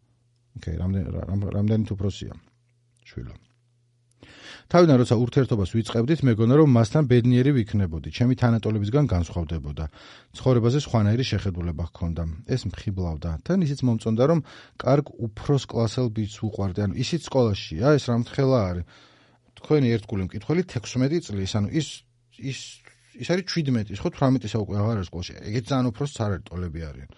ოკეი, რამდენით უფროსია? შვილო. თავიდან როცა ურთიერთობას ვიწყებდით, მეგონა რომ მასთან ბედნიერი ვიქნებოდი, ჩემი თანატოლებისგან განსხვავდებოდა. ცხოვრებაზე სხვანაირი შეხედულება ჰქონდა. ეს მხიბლავდა. თან ისიც მომწონდა რომ კარგ უფროს კლასელ ბიჭს უყვარდი. ანუ ისიც სკოლაშია, ეს რა მთხელა არის. თქვენი ერთგული მკითხველი თექვსმეტი წლის, ანუ ის ის ის არის შვიდმეტი, ხო თვრამეტისა უკვე აღარ არის სკოლაში. ეგეც ძალიან უფროს ცარალი ტოლები არიან.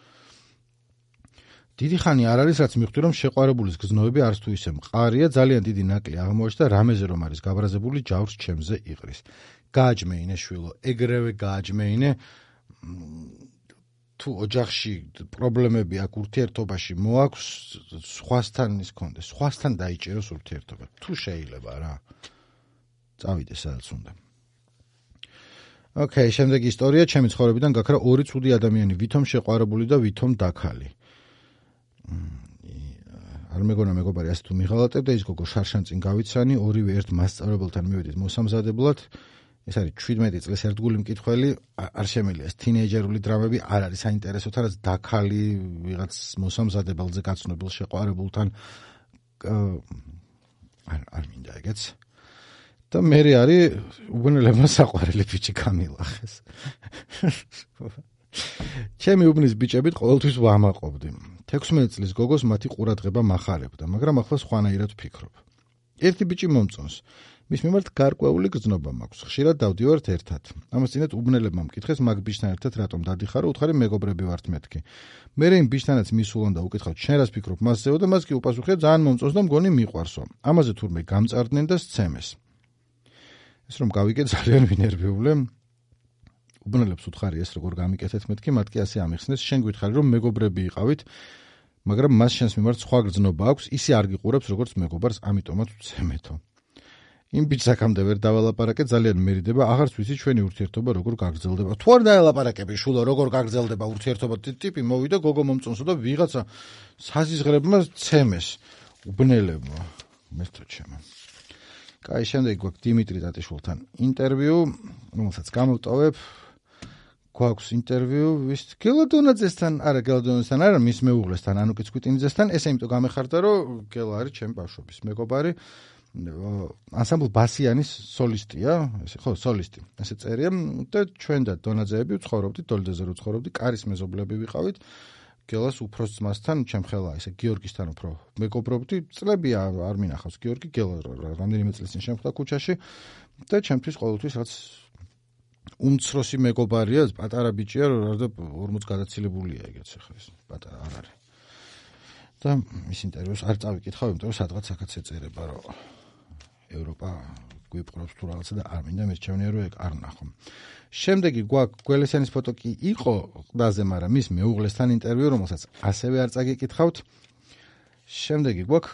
დიდი ხანი არ არის, რაც მივხვდი რომ შეყვარებულის გზნობები არც თუ ისე მყარია, ძალიან დიდი ნაკლი აღმოაჩნდა რამეზე რომ არის გაბრაზებული ჯავრს ჩემზე იყრის. გააჯმეინე შვილო, ეგრევე გააჯმეინე თუ ოჯახში პრობლემები აქვს ურთიერთობაში მოაქვს სხვასთან ის კონდეს, სხვასთან დაიჭეროს ურთიერთობა. თუ შეიძლება რა. წავიდე სადაც უნდა. ოკეი, შემდეგი ისტორია ჩემი ცხოვრებიდან გაქრა ორი ცუდი ადამიანი, ვითომ შეყვარებული და ვითომ დაქალი. არ მეგონა მეგობარი ასე თუ მიღალატებდა ის გოგო შარშან წინ გავიცანი, ორივე ერთ მასწავლებელთან მივედით მოსამზადებლად. ეს არის შვიდმეტი წლის ერთგული მკითხველი, არ შემიძლია ეს თინეიჯერული დრამები არ არის საინტერესო, თან დაქალი ვიღაც მოსამზადებელზე გაცნობილ შეყვარებულთან არ არ მინდა ეგეც. და მე არის უბნელებმა საყვარელი ბიჭი გამილახეს. ჩემი უბნის ბიჭებით ყოველთვის ვამაყობდი. თექვსმეტი წლის გოგოს მათი ყურადღება მახარებდა, მაგრამ ახლა სხვანაირად ვფიქრობ. ერთი ბიჭი მომწონს. მის მიმართ გარკვეული გრძნობა მაქვს. ხშირად დავდივართ ერთად. ამას წინათ უბნელებმა მკითხეს მაგ ბიჭთან ერთად რატომ დადიხარო, უთხარი მეგობრები ვართ მეთქი. მე იმ ბიჭთანაც მისულან და უკითხავთ, შენ რას ფიქრობ მასზეო და მას კი უპასუხია ძალიან მომწონს და მგონი მიყვარსო. ამაზე თურმე გამწარდნენ და სცემეს. ეს რომ გავიგე ძალიან ვინერვიულე. უბნელებს უთხარი ეს როგორ გამიკეთეთ მეთქი, მათ კი ასე ამიხსნეს, შენ გითხარი რომ მეგობრები იყავით, მაგრამ მას შენს მიმართ სხვა გრძნობა აქვს, ისე არ გიყურებს როგორც მეგობარს, ამიტომაც ვცემეთო. იმ ბიჭს აქამდე ვერ დავალაპარაკე, ძალიან მერიდება, აღარც ვიცი ჩვენი ურთიერთობა როგორ გაგრძელდება. თუ არ დავალაპარაკები, შულო, როგორ გაგრძელდება ურთიერთობა, ტიპი მოვიდა, გოგო მომწონსო და ვიღაცა საზიზღრებმა ცემეს უბნელებმა. მესტო ჩემო. კაი, შემდეგ გვაქვს დიმიტრი ტატიშვილთან ინტერვიუ, რომელსაც გამოვტოვებ. გვაქვს ინტერვიუ ვის გელადონაძესთან, არა გელადონაძესთან, არა მის მეუღლესთან, ანუკი ცკვიტინიძესთან. ესე იმიტომ გამეხარდა, რომ გელა არის ჩემი ბავშვობის მეგობარი. ანსამბლ ბასიანის სოლისტია, ესე ხო, სოლისტი. ესე წერია და ჩვენ და დონაძეები ვცხოვრობდით, დოლდეზე რო ვცხოვრობდით, კარის მეზობლები ვიყავით. გელას უფროს ძმასთან, ჩემხელა, ესე გიორგისთან უფრო მეგობრობდი. წლები არ მინახავს გიორგი, გელა რამდენიმე წლის წინ შემხვდა ქუჩაში და ჩემთვის ყოველთვის რაც უმცროსი მეგობარია, პატარა ბიჭია, რა და ორმოც გადაცილებულია ეგეც ახლა ეს პატარა არ არის. და მის ინტერვიუს არ წავიკითხავ, იმიტომ რომ სადღაც აქაც ეწერება, რომ ევროპა გვიპყრობს თუ რაღაცა და არ მინდა მერჩევნია რომ ეგ არ ნახო. შემდეგი გვაქვს გველესენის ფოტო კი იყო ყდაზე, მაგრამ მის მეუღლესთან ინტერვიუ, რომელსაც ასევე არ წაგიკითხავთ. შემდეგი გვაქვს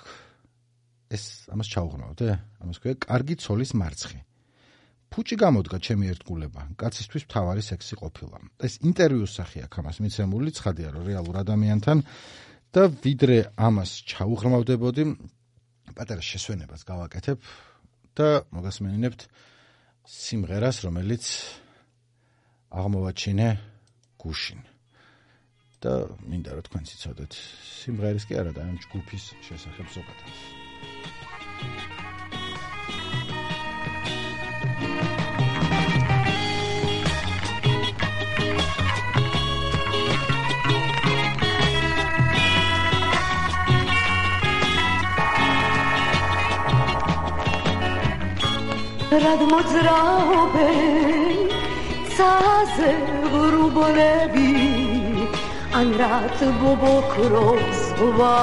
ეს ამას ჩაუღრმავთ, ამას ქვია კარგი ცოლის მარცხი. ფუჭი გამოდგა ჩემი ერთგულება, კაცისთვის მთავარი სექსი ყოფილა. ეს ინტერვიუს სახე აქვს ამას მიცემული, ცხადია რომ რეალურ ადამიანთან და ვიდრე ამას ჩაუღრმავდებოდი, პატარა შესვენებას გავაკეთებ და მოგასმენინებთ სიმღერას, რომელიც აღმოვაჩინე გუშინ. და მინდა რომ თქვენც იცოდეთ სიმღერის კი არა და ამ ჯგუფის შესახებ ზოგადად. რად მოძრაობენ ცაზე ღრუბლები ან რად ბობოქრობს ზღვა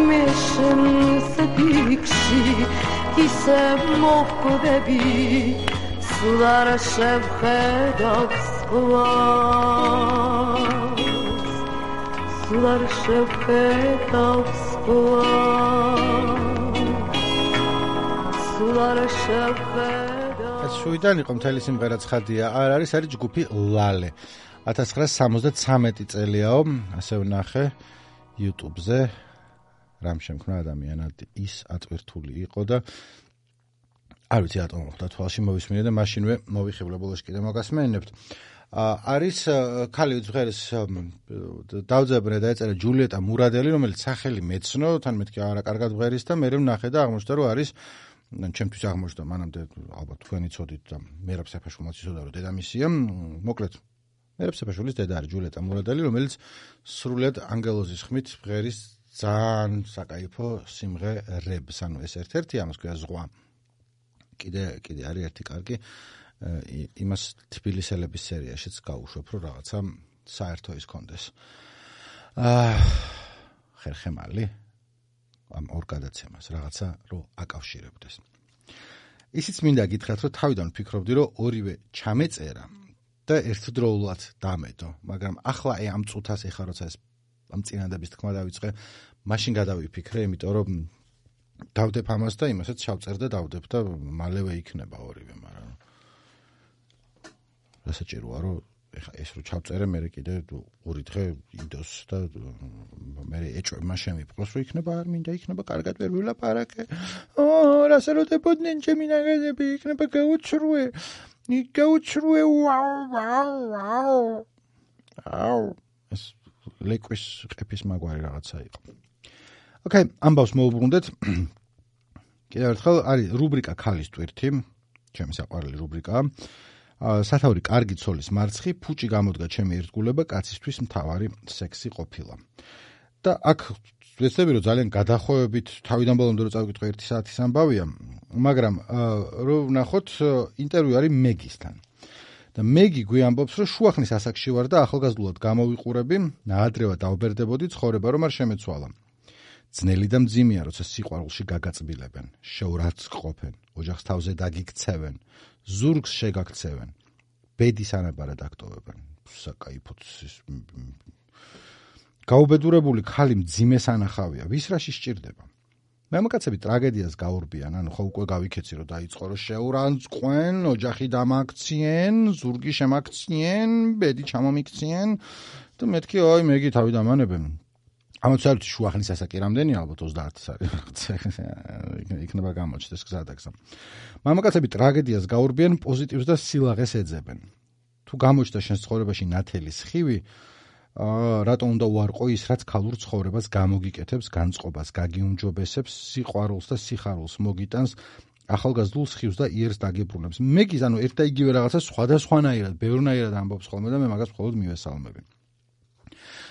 მე შენს ფიქში ისე მოხვდები სულ არ შევხედავ სხვას სულ არ შევხედავ სხვას ეს შუიდან იყო მთელი სიმღერა ცხადია, არ არის, არის ჯგუფი ლალე. ათას ცხრაასი სამოცდათვრამეტი წელიაო, ასე ვნახე YouTube-ზე, რამ შემქმნა ადამიანად ის ატვირთული იყო და არ ვიცი რატომ მოხდა თვალში მოვისმინე და მაშინვე მოვიხიბლე ბოლოს კიდე მოგასმენინებთ. არის ქალი ვიძღერის დავძაბნე და ეწერა ჯულიეტა მურადელი, რომელიც სახელი მეცნო, თან მეთქი არა კარგად ვღერის და მე ვნახე და აღმოჩნდა რომ არის ჩემთვის აღმოჩნდა მანამდე ალბათ თქვენი ცოდით და მერაბ საფაშულმაც იცოდა რომ დედამისია, მოკლედ მერაბ საფაშულის დედა არის ჯულიეტა მურადელი, რომელიც სრულად ანგელოზის ხმით ვღერის ძალიან საკაიფო სიმღერებს, ანუ ეს ერთ-ერთი ამას ქვია ზღვა. კიდე კიდე არის ერთი კარგი იმას თბილისელების სერიაშიც გავუშვებ, რომ რაღაცა საერთო ის კონდეს. აა ხერხემალი ამ ორ გადაცემას რაღაცა რომ აკავშირებდეს. ისიც მინდა გითხრათ, რომ თავიდან ვფიქრობდი, რომ ორივე ჩამეწერა და ერთდროულად დამედო, მაგრამ ახლა აი ამ წუთას ეხა როცა ეს ამ წინადების თქმა დავიწყე, მაშინ გადავიფიქრე, იმიტომ რომ დავდებ ამას და იმასაც ჩავწერ და დავდებ და მალევე იქნება ორივე, მაგრამ რასაჭიროა რომ ეხა ეს რო ჩავწერე, მე კიდე ორი დღე იდოს და მე ეჭვება შემიპყროს, რომ იქნება არ მინდა, იქნება კარგად ვერ ვილაპარაკე. ო, რასა რო დებოდნენ ჩემი ნაგაზები, იქნება გაუჩრუე. გაუჩრუე, ვაუ, ვაუ, ვაუ. აუ, ეს ლეკვის ყეფის მაგვარი რაღაცა იყო. ოკეი, ამბავს მოუბრუნდეთ. კიდევ ერთხელ არის რუბრიკა ქალის ტვირთი, ჩემი საყვარელი რუბრიკაა. სათავრი კარგი ცოლის მარცხი, ფუჭი გამოდგა ჩემი ერთგულება, კაცისთვის მთავარი სექსი ყოფილა. და აქ ვეცდები რომ ძალიან გადახვევებით თავიდან ბოლომდე რომ წავიკითხო ერთი საათის ამბავია, მაგრამ რომ ვნახოთ ინტერვიუ არის მეგისთან. და მეგი გვიამბობს, რომ შუახნის ასაკში ვარ და ახალგაზრდულად გამოვიყურები, ნაადრევად დავბერდებოდი ცხოვრება რომ არ შემეცვალა. ძნელი და მძიმეა, როცა სიყვარულში გაგაწბილებენ, შეურაც ყოფენ, ოჯახს თავზე დაგიქცევენ, ზურგს შეგაქცევენ, ბედის ანაბარად აქტოვებენ. საკაიფოც გაუბედურებული ქალი მძიმეს ანახავია, ვის რაში სჭირდება. მამაკაცები ტრაგედიას გაურბიან, ანუ ხო უკვე გავიქეცი რომ დაიწყო რომ შეურანწყყვენ, ოჯახი დამაქციენ, ზურგი შემაქციენ, ბედი ჩამომიქციენ და მეთქი ой, მეგი თავი დამანებენ. ამაცალთ შუახნის ასაკი რამდენი ალბათ ოცდაათი არის. იქნება გამოჩნდეს გზადაგზა. მამაკაცები ტრაგედიას გაურბიან, პოზიტივს და სილაღეს ეძებენ. თუ გამოჩნდა შენს ცხოვრებაში ნათელი სხივი, აა რატო უნდა უარყო ის, რაც ქალურ ცხოვრებას გამოგიკეთებს, განწყობას, გაგიუმჯობესებს, სიყვარულს და სიხარულს მოგიტანს, ახალგაზრდულ სხივს და იერს დაგებრუნებს. მეგის ანუ ერთ და იგივე რაღაცა სხვადასხვანაირად, ბევრნაირად ამბობს ხოლმე და მე მაგას მხოლოდ მივესალმები.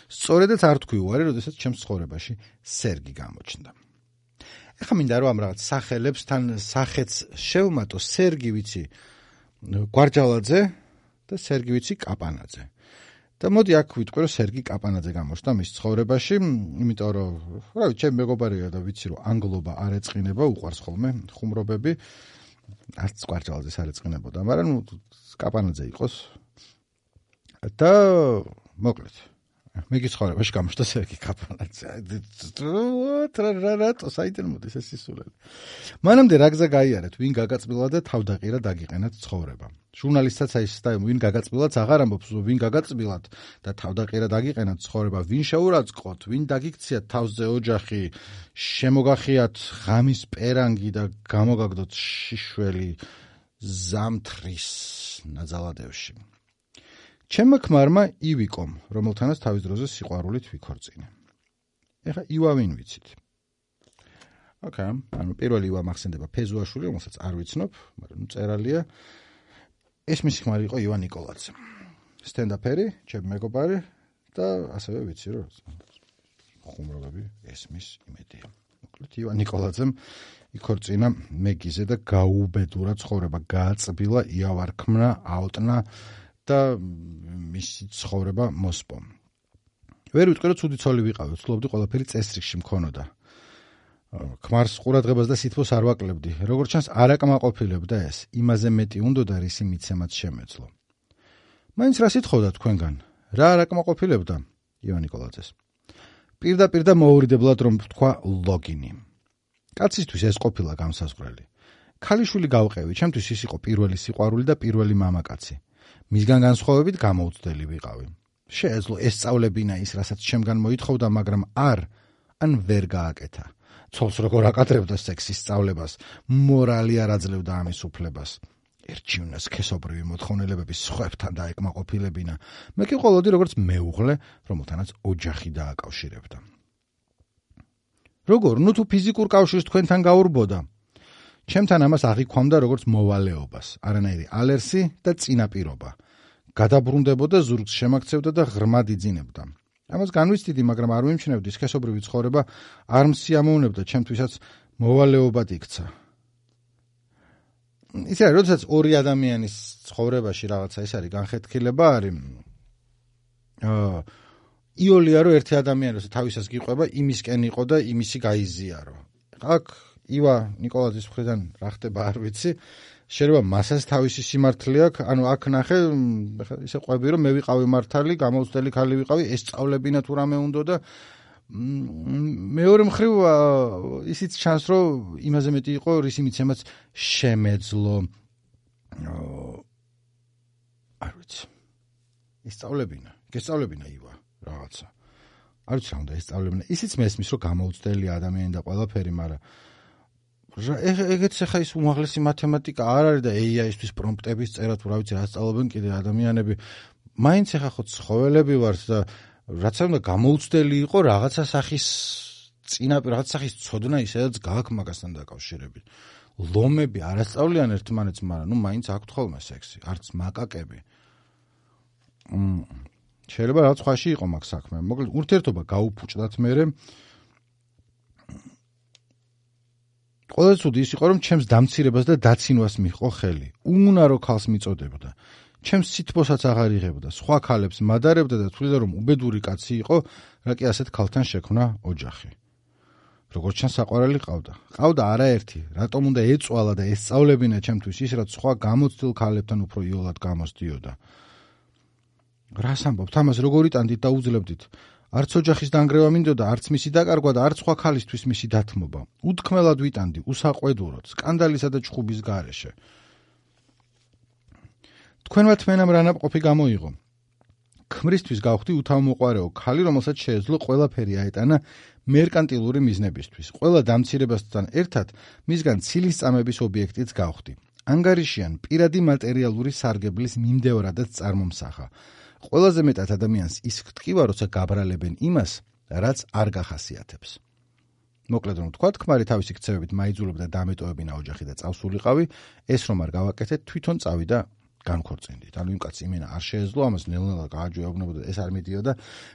სწორედაც არ თქვი უარი, როდესაც ჩემს ცხოვრებაში სერგი გამოჩნდა. ეხლა მინდა რომ ამ რაღაც სახელებს თან სახეც შევმატო, სერგი ვიცი გვარჯალაძე და სერგი ვიცი კაპანაძე. და მოდი აქ ვიტყვი რომ სერგი კაპანაძე გამოჩნდა მის ცხოვრებაში, იმიტომ რომ რა ვიცი, ჩემი მეგობარია და ვიცი რომ ანგლობა არ ეწყინება, უყვარს ხოლმე ხუმრობები, არც გვარჯალაძეს არ ეწყინებოდა, მაგრამ კაპანაძე იყოს. და მოკლედ მეგის ცხოვრებაში გამოჩნდა სერგი კაპანაძე. რატო საიდან მოდის ეს სისულელი? მანამდე რა გზა გაიარეთ, ვინ გაგაწბილა და თავდაყირა დაგიყენათ ცხოვრება. ჟურნალისტაც აი ეს და ვინ გაგაწბილათ აღარ ამბობს, ვინ გაგაწბილათ და თავდაყირა დაგიყენათ ცხოვრება, ვინ შეურაცხყოთ, ვინ დაგიქციათ თავზე ოჯახი, შემოგახიათ ღამის პერანგი და გამოგაგდოთ შიშველი ზამთრის ნაძალადევში. ჩემმა ქმარმა ივიკომ, რომელთანაც თავის დროზე სიყვარულით ვიქორწინე. ეხლა ივა ვინ ვიცით? ოკეი, ანუ პირველი ივა მახსენდება ფეზუაშვილი, რომელსაც არ ვიცნობ, მაგრამ წერალია. ეს მისი ქმარი იყო ივა ნიკოლაძე. სტენდაპერი, ჩემი მეგობარი და ასევე ვიცი რომ ხუმრობები ესმის იმედია. მოკლედ ივა ნიკოლაძემ იქორწინა მეგიზე და გაუბედურა ცხოვრება, გააწბილა, იავარქმნა, აუტნა და მისი ცხოვრება მოსპო. ვერ ვიტყვი რომ ცუდი ცოლი ვიყავი, ვცდილობდი ყველაფერი წესრიგში მქონოდა. ქმარს ყურადღებას და სითბოს არ ვაკლებდი. როგორც ჩანს, არ აკმაყოფილებდა ეს. იმაზე მეტი უნდა და რისი მიცემაც შემეძლო. მაინც რა სიტყოდა თქვენგან? რა არ აკმაყოფილებდა? ივა ნიკოლაძეს. პირდაპირ და მოურიდებლად რომ თქვა ლოგინი. კაცისთვის ეს ყოფილა გამსაზღვრელი. ქალიშვილი გავყევი, ჩემთვის ის იყო პირველი სიყვარული და პირველი მამაკაცი. მისგან განსხვავებით გამოუცდელი ვიყავი. შეეძლო ესწავლებინა ის, რასაც ჩემგან მოითხოვდა, მაგრამ არ ან ვერ გააკეთა. ცოლს როგორ აკადრებდა სექსის სწავლებას, მორალი არ აძლევდა ამის უფლებას. ერჩივნას სქესობრივი მოთხოვნილებების სხვებთან დაეკმაყოფილებინა. მე კი ყოლოდი როგორც მეუღლე, რომელთანაც ოჯახი დააკავშირებდა. როგორ, ნუ თუ ფიზიკურ კავშირს თქვენთან გაურბოდა. ჩემთან ამას აღიქვამდა როგორც მოვალეობას, არანაირი ალერსი და წინაპირობა. გადაბრუნდებოდა, ზურგს შემაქცევდა და ღრმად იძინებდა. ამას განვიცდიდი, მაგრამ არ ვიმჩნევდი, სქესობრივი ცხოვრება არ მსიამოვნებდა, ჩემთვისაც მოვალეობად იქცა. ისე არის, როდესაც ორი ადამიანის ცხოვრებაში რაღაცა ის არის განხეთქილება არის. აა იოლია რომ ერთი ადამიანი როცა თავისას გიყვება, იმისკენ იყო და იმისი გაიზიარო. აქ ივა ნიკოლაძის მხრიდან რა ხდება არ ვიცი. შეიძლება მასაც თავისი სიმართლე აქვს, ანუ აქ ნახე, ისე ყვები რომ მე ვიყავი მართალი, გამოცდელი ქალი ვიყავი, ესწავლებინა თუ რამე უნდა და მეორე მხრივ ისიც ჩანს რომ იმაზე მეტი იყო რის იმიცემაც შემეძლო. არ ვიცი. ესწავლებინა, ესწავლებინა ივა რაღაცა. არ ვიცი რა უნდა ესწავლებინა. ისიც მესმის რომ გამოცდელი ადამიანი და ყველაფერი, მაგრამ ეგეც ახლა ის უმაღლესი მათემატიკა არ არის და ეი აი-ისთვის პრომპტების წერა თუ რა ვიცი რა სწავლობენ კიდე ადამიანები. მაინც ახლა ხო ცხოველები ვართ და რაც უნდა გამოუცდელი იყო რაღაცა სახის წინაპირ რაღაცა სახის ცოდნა ისედაც გააქვს მაგასთან დაკავშირებით. ლომები არასწავლიან ერთმანეთს, მაგრამ ნუ მაინც აქვთ ხოლმე სექსი, არც მაკაკები. მ შეიძლება რაღაც სხვაში იყო მაგ საქმე. მოკლედ ურთიერთობა გაუფუჭდათ მერე. ყველაზე ცუდი ის იყო რომ ჩემს დამცირებას და დაცინვას მიჰყო ხელი. უნარო ქალს მიწოდებდა. ჩემს სითბოსაც აღარ იღებდა, სხვა ქალებს მადარებდა და თვლიდა რომ უბედური კაცი იყო, რა კი ასეთ ქალთან შექმნა ოჯახი. როგორც ჩანს საყვარელი ყავდა. ყავდა არაერთი, რატომ უნდა ეწვალა და ესწავლებინა ჩემთვის ის, რაც სხვა გამოცდილ ქალებთან უფრო იოლად გამოსდიოდა. რას ამბობთ, ამას როგორ იტანდით და უძლებდით? არც ოჯახის დანგრევა მინდოდა, არც მისი დაკარგვა და არც სხვა ქალისთვის მისი დათმობა. უთქმელად ვიტანდი, უსაყვედუროდ, სკანდალისა და ჭხუბის გარეშე. თქვენმა თმენამ რა ნაპყოფი გამოიღო. ქმრისთვის გავხდი უთავმოყვარეო ქალი, რომელსაც შეეძლო ყველაფერი აეტანა მერკანტილური მიზნებისთვის. ყველა დამცირებასთან ერთად მისგან ცილის წამების ობიექტიც გავხდი. ანგარიშიან პირადი მატერიალური სარგებლის მიმდევრადაც წარმომსახა. ყველაზე მეტად ადამიანს ის გტკივა, როცა გაბრალებენ იმას, რაც არ გახასიათებს. მოკლედ რომ თქვა, ქმარი თავისი ქცევებით მაიძულებდა დამეტოვებინა ოჯახი და წავსულიყავი, ეს რომ არ გავაკეთეთ, თვითონ წავიდა განქორწინდით. ანუ იმ კაცს იმენა არ შეეძლო, ამას ნელ-ნელა გააჯვეობნებოდა, ეს არ მიდიოდა.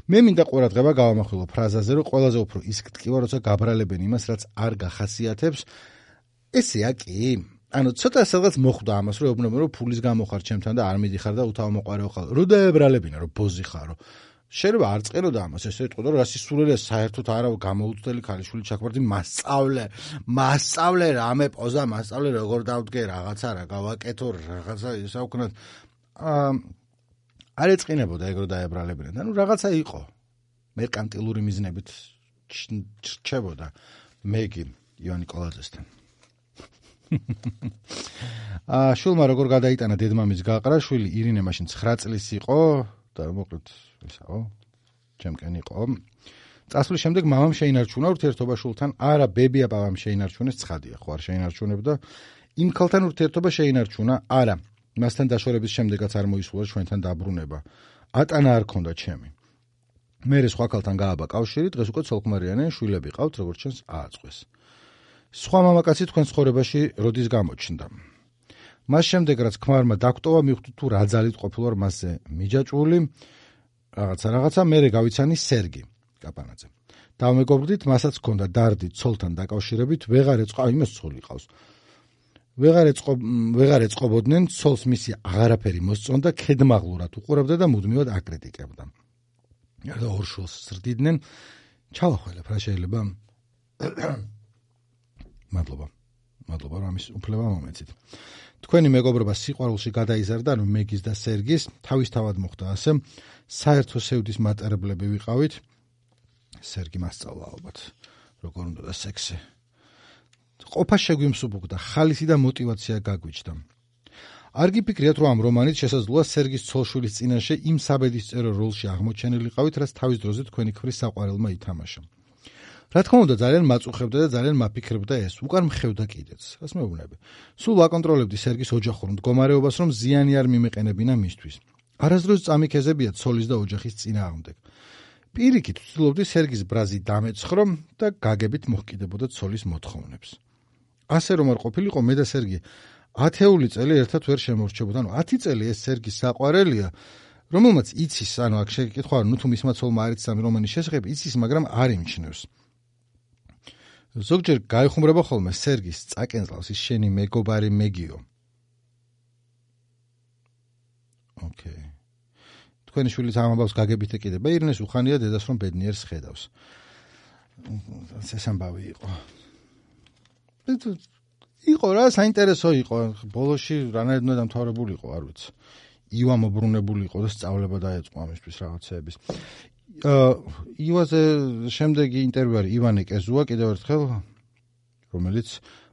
მე მინდა ყურადღება გავამახვილო ფრაზაზე, რომ ყველაზე უფრო ის გტკივა, როცა გაბრალებენ იმას, რაც არ გახასიათებს. ესეა კი. ანუ ცოტა სადღაც მოხვდა ამას, რომ ეუბნებიან, რომ ფულის გამო ხარ ჩემთან და არ მიდიხარ და უთავმოყვარეო ხარ. რო დაებრალებინა, რომ ბოზი ხარო. შეიძლება არ წყეროდა ამას, ესე იტყოდა, რომ რას ისულელია საერთოდ არა გამოუცდელი ქალიშვილი ჩაქმარდი, მასწავლე, მასწავლე რამე პოზა, მასწავლე როგორ დავდგე რაღაცა რა გავაკეთო, რაღაცა ისა უკნად არ ეწყინებოდა ეგ რო დაებრალებინა. ანუ რაღაცა იყო. მერკანტილური მიზნებით რჩებოდა მეგი ივან ნიკოლაძესთან. აა შულმა როგორ გადაიტანა დედმამის გაყრა, შვილი ირინე მაშინ ცხრა წლის იყო და მოკლედ ისაო, ჩემკენ იყო. წასვლის შემდეგ მამამ შეინარჩუნა ურთიერთობა შულთან, არა ბებია პაპამ შეინარჩუნეს, ცხადია, ხო არ შეინარჩუნებდა. იმ ქალთან ურთიერთობა შეინარჩუნა, არა, მასთან დაშორების შემდეგაც არ მოისურვა ჩვენთან დაბრუნება. ატანა არ ქონდა ჩემი. მერე სხვა ქალთან გააბა კავშირი, დღეს უკვე ცოლქმარიანი შვილები ყავთ, როგორც ჩანს ააწყვეს. სხვა მამაკაცი თქვენ ცხოვრებაში როდის გამოჩნდა. მას შემდეგ რაც ქმარმა დაგტოვა, მივხვდი თუ რა ძალით ყოფილვარ მასზე მიჯაჭვული, რაღაცა რაღაცა, მერე გავიცანი სერგი კაპანაძე. დავმეგობრდით, მასაც ჰქონდა დარდი ცოლთან დაკავშირებით, ვეღარ ეწყო, იმას ცოლი ყავს. ვეღარ ეწყო, ვეღარ ეწყობოდნენ, ცოლს მისი აღარაფერი მოსწონდა, ქედმაღლურად უყურებდა და მუდმივად აკრიტიკებდა. და ორ შულს ზრდიდნენ, ჩავახველებ რა შეიძლება. მადლობა. მადლობა რომ ამის უფლება მომეცით. თქვენი მეგობრობა სიყვარულში გადაიზარდა, ანუ მეგის და სერგის, თავისთავად მოხდა ასე. საერთო სევდის მატარებლები ვიყავით. სერგი მასწავლა ალბათ, როგორ უნდა და სექსი. ყოფა შეგვიმსუბუქდა, ხალისი და мотиваცია გაგვიჩნდა. არ გიფიქრიათ, რომ ამ რომანით შესაძლოა სერგის ცოლშვილის წინაშე იმ საბედისწერო როლში აღმოჩენილიყავით, რაც თავის დროზე თქვენი ქმრის საყვარელმა ითამაშა. რა თქმა უნდა ძალიან მაწუხებდა და ძალიან მაფიქრებდა ეს, უკან მხევდა კიდეც. რას მეუბნები? სულ ვაკონტროლებდი სერგის ოჯახურ მდგომარეობას, რომ ზიანი არ მიმეყენებინა მისთვის. არასდროს წამიქეზებია ცოლის და ოჯახის წინააღმდეგ. პირიქით ვცდილობდი სერგის ბრაზი დამეცხრო და გაგებით მოჰკიდებოდა ცოლის მოთხოვნებს. ასე რომ არ ყოფილიყო, მე და სერგი ათეული წელი ერთად ვერ შემორჩებოდა. ანუ ათი წელი ეს სერგის საყვარელია, რომელმაც იცის, ანუ აქ შეკითხვა, ნუ თუ მისმა ცოლმა არ იცის ამ რომანის შესახებ, იცის, მაგრამ არ იმჩნევს. ზოგჯერ გაიხუმრება ხოლმე სერგის წაკენძლავს ის შენი მეგობარი მეგიო. ოკეი. თქვენი შვილის ამ ამბავს გაგებით ეკიდება, ირნეს უხანია დედას რომ ბედნიერს ხედავს. ეს ამბავი იყო. იყო რა, საინტერესო იყო. ბოლოში რანაირად უნდა დამთავრებული იყო, არ ვიცი. ივა მობრუნებული იყო და სწავლება დაეწყო ამისთვის რაღაცეების. ივაზე შემდეგი ინტერვიუ არის ივანე კეზუა, კიდევ ერთხელ, რომელიც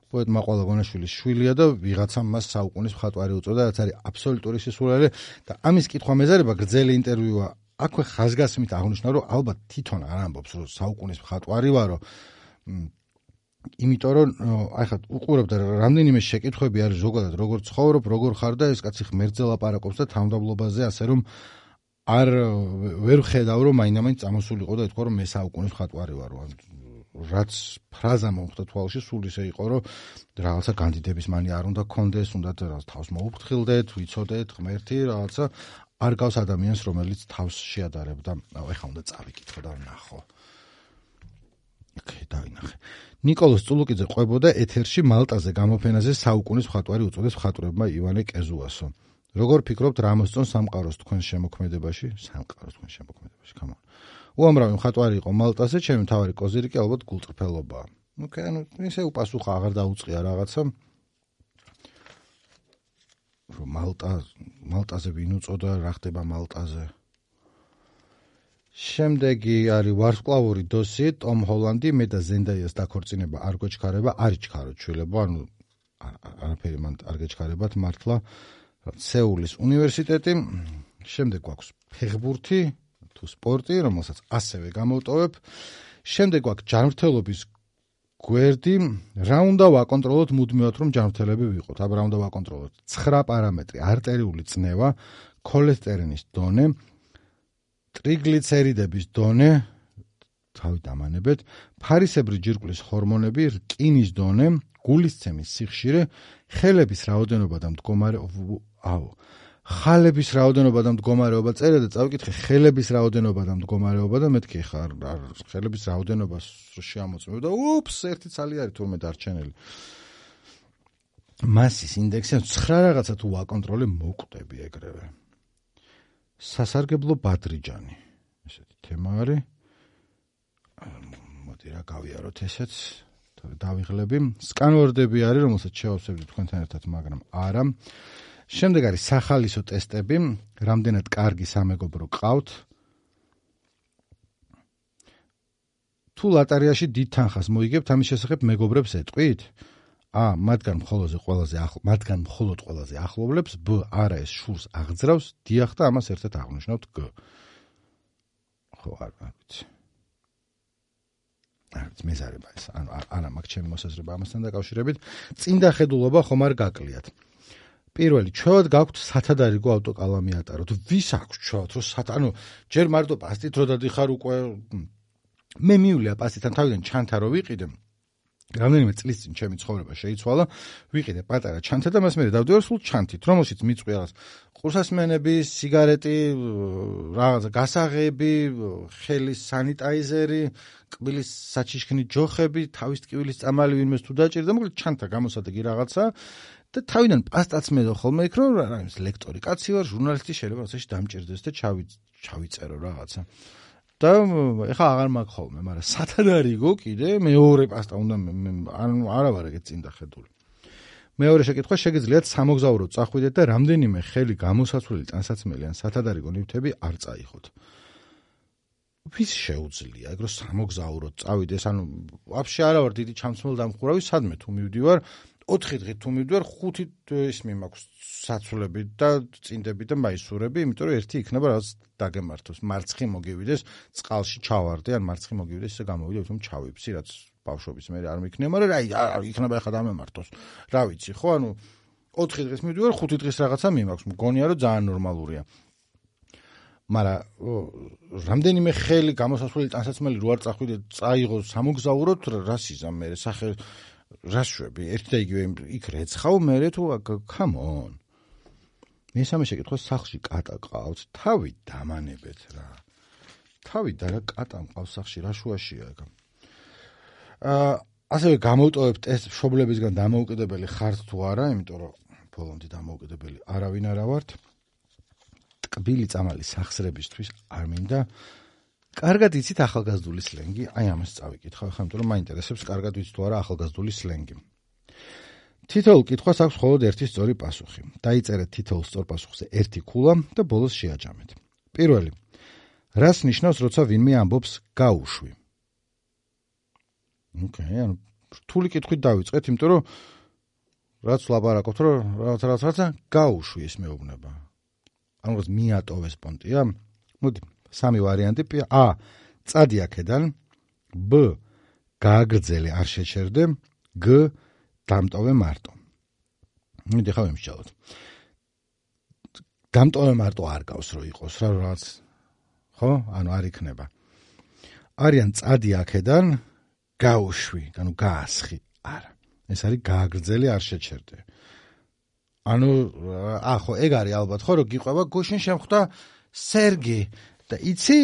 პოეტ მაყვალა გონაშვილის შვილია და ვიღაცამ მას საუკუნის მხატვარი უწოდა, რაც არის აბსოლუტური სისულელე და ამის კითხვა მეზარება გრძელი ინტერვიუა. აქვე ხაზგასმით აღნიშნა, რომ ალბათ თვითონ არ ამბობს, რომ საუკუნის მხატვარი ვარო. იმიტომ რომ აი ხა უყურებდა რამდენიმე შეკითხვები არის ზოგადად როგორ ცხოვრობ, როგორ ხარ და ეს კაცი ღმერთზე ლაპარაკობს და თავმდაბლობაზე, ასე რომ არ ვერ ხედავ რომ მაინდა-მაინც წამოსულიყო და ეთქვა რომ მე საუკუნის მხატვარი ვარ. რაც ფრაზა მომხდა თვალში, სულ ისე იყო, რომ რაღაცა კანდიდების მანი არ უნდა გქონდეს, უნდა თავს მოუფრთხილდეთ, ვიცოდეთ, ღმერთი, რაღაცა არ გავს ადამიანს, რომელიც თავს შეადარებდა. ეხლა უნდა წავიკითხო და ვნახო. ოკეი, დავინახე. ნიკოლოზ წულუკიძე ყვებოდა ეთერში მალტაზე გამოფენაზე საუკუნის მხატვარი უწოდეს მხატვრებმა ივანე კეზუასო. როგორ ფიქრობთ, რა მოსწონს სამყაროს თქვენ შემოქმედებაში? სამყაროს თქვენ შემოქმედებაში, come on. უამრავი მხატვარი იყო მალტაზე, ჩემი მთავარი კოზირიკი ალბათ გულწრფელობაა. ოკეი, ანუ ისე უპასუხა, აღარ დაუწყია რაღაცა. რომ მალტა, მალტაზე ვინ უწოდა, რა ხდება მალტაზე. შემდეგი არის ვარსკვლავური დოსი, ტომ ჰოლანდი, მე და ზენდაიას დაქორწინება არ გვეჩქარება, არ იჩქაროთ შვილებო, ანუ არაფერი მან არ გეჩქარებათ მართლა. სეულის უნივერსიტეტი, შემდეგ გვაქვს ფეხბურთი, თუ სპორტი, რომელსაც ასევე გამოვტოვებ. შემდეგ გვაქვს ჯანმრთელობის გვერდი, რა უნდა ვაკონტროლოთ მუდმივად, რომ ჯანმრთელები ვიყოთ. აბა რა უნდა ვაკონტროლოთ? ცხრა პარამეტრი: არტერიული წნევა, ქოლესტერინის დონე, ტრიგლიცერიდების დონე, თავი დამანებეთ, ფარისებრი ჯირკვლის ჰორმონები, რკინის დონე, გულისცემის სიხშირე, ხელების რაოდენობა და მდგომარეობა, აუ, ხალების რაოდენობა და მდგომარეობა წერე და წავიკითხე ხელების რაოდენობა და მდგომარეობა და მეთქი ხარ ხელების რაოდენობას შეამოწმებ და უპს, ერთი ცალი არის თურმე დარჩენილი. მასის ინდექსი ცხრა რაღაცა თუ ვაკონტროლე მოკვდები ეგრევე. სასარგებლო ბადრიჯანი. ესეთი თემა არის. მოდი რა გავიაროთ ესეც. დავიღლები. სკანვორდები არის, რომელსაც შევავსებდი თქვენთან ერთად, მაგრამ არა. შემდეგ არის სახალისო ტესტები, რამდენად კარგი სამეგობრო გყავთ. თუ ლატარიაში დიდ თანხას მოიგებთ, ამის შესახებ მეგობრებს ეტყვით? ა, მათგან მხოლოდ ყველაზე ახლო, მათგან მხოლოდ ყველაზე ახლობლებს, ბ, არა ეს შურს აღძრავს, დიახ და ამას ერთად აღნიშნავთ გ. ხო, არ ვიცი. არ ვიცი, მეზარება ეს, ანუ არა მაქვს ჩემი მოსაზრება ამასთან დაკავშირებით. წინდა ხედულობა ხომ არ გაკლიათ. პირველი, ჩვევად გაქვთ სათადარიგო ავტოკალამი ატაროთ. ვის აქვს ჩვევად, რომ სათ, ანუ ჯერ მარტო პასტით რო დადიხარ უკვე მე მივლია პასტიდან თავიდან ჩანთა რო ვიყიდე. რამდენიმე წლის წინ ჩემი ცხოვრება შეიცვალა, ვიყიდე პატარა ჩანთა და მას მე დავდივარ სულ ჩანთით, რომელშიც მიწვია რაღაც ყურსასმენები, სიგარეტი, რაღაცა გასაღები, ხელის სანიტაიზერი, კბილის საჩიშქნი ჯოხები, თავის ტკივილის წამალი ვინმეს თუ დაჭირდა, მოკლედ ჩანთა გამოსადეგი რაღაცა და თავიდან პასტაც მედო ხოლმე იქ რომ რა ის ლექტორი კაცი ვარ, ჟურნალისტი შეიძლება რაღაცაში დამჭირდეს და ჩავიწერო რაღაცა. და ეხა აღარ მაქვს ხოლმე, მაგრამ სათადარიგო კიდე მეორე პასტა უნდა ანუ არა ვარ ეგეთ წინ დახედული. მეორე შეკითხვა, შეგიძლიათ სამოგზაუროდ წახვიდეთ და რამდენიმე ხელი გამოსაცვლელი ტანსაცმელი ან სათადარიგო ნივთები არ წაიხოთ. ვის შეუძლია ეგ რომ სამოგზაუროდ წავიდეს, ანუ ვაფშე არა ვარ დიდი ჩამცმელ დამხურავი, სადმე თუ მივდივარ, ოთხი დღით თუ მივდივარ, ხუთი ისმი მაქვს საცვლები და წინდები და მაისურები, იმიტომ რომ ერთი იქნება რაღაც დაგემართოს, მარცხი მოგივიდეს, წყალში ჩავარდე, ან მარცხი მოგივიდეს, ისე გამოვიდე, თუმცა ჩავიფცი, რაც ბავშვობის მე არ მიქნია, მაგრამ აი, იქნება ახლა დამემართოს. რა ვიცი, ხო, ანუ ოთხი დღის მივდივარ, ხუთი დღის რაღაცა მიმაქვს, მგონია რომ ძალიან ნორმალურია. მაგრამ რამდენიმე ხელი გამოსასვლელი ტანსაცმელი რო არ წახვიდე, წაიღო სამოგზაუროთ, რას იზამ მე, სახე რას შვები, ერთი და იგივე იქ რეცხავ, მე თუ come on. მესამე შეკითხვა, სახლში კატა ყავთ, თავი დამანებეთ რა. თავი და რა კატა მყავს სახლში, რა შუაშია ეგ. აა ასევე გამოვტოვებთ ეს მშობლებისგან დამოუკიდებელი ხართ თუ არა, იმიტომ რომ ბოლომდე დამოუკიდებელი არავინ არა ვართ. ტკბილი წამალი სახსრებისთვის არ მინდა. კარგად იცით ახალგაზრდული სლენგი? აი ამას წავიკითხავ ახლა, იმიტომ რომ მაინტერესებს კარგად ვიცით თუ არა ახალგაზრდული სლენგი. თითოეულ კითხვას აქვს მხოლოდ ერთი სწორი პასუხი. დაიწერეთ თითოეულ სწორ პასუხზე ერთი ქულა და ბოლოს შეაჯამეთ. პირველი. რას ნიშნავს, როცა ვინმე ამბობს გაუშვი? ოკეი, ანუ რთული კითხვით დავიწყეთ, იმიტომ რომ რაც ვლაპარაკობთ, რომ რაღაც რაღაც რაღაცა გაუშვი ეს მეუბნება. ანუ რაც მიატოვეს პონტია? მოდი, სამი ვარიანტი. A. წადი აქედან. B. გააგრძელე, არ შეჩერდე. G. დამტოვე მარტო. მიდი ხა ვიმსჯელოთ. დამტოვე მარტო არ გავს რო იყოს რა რაღაც. ხო? ანუ არ იქნება. არიან წადი აქედან, გაუშვი, ანუ გაასხი. არა. ეს არის გააგრძელე, არ შეჩერდე. ანუ ახო ეგ არის ალბათ ხო რომ გიყვება გუშინ შემხვდა სერგი და იცი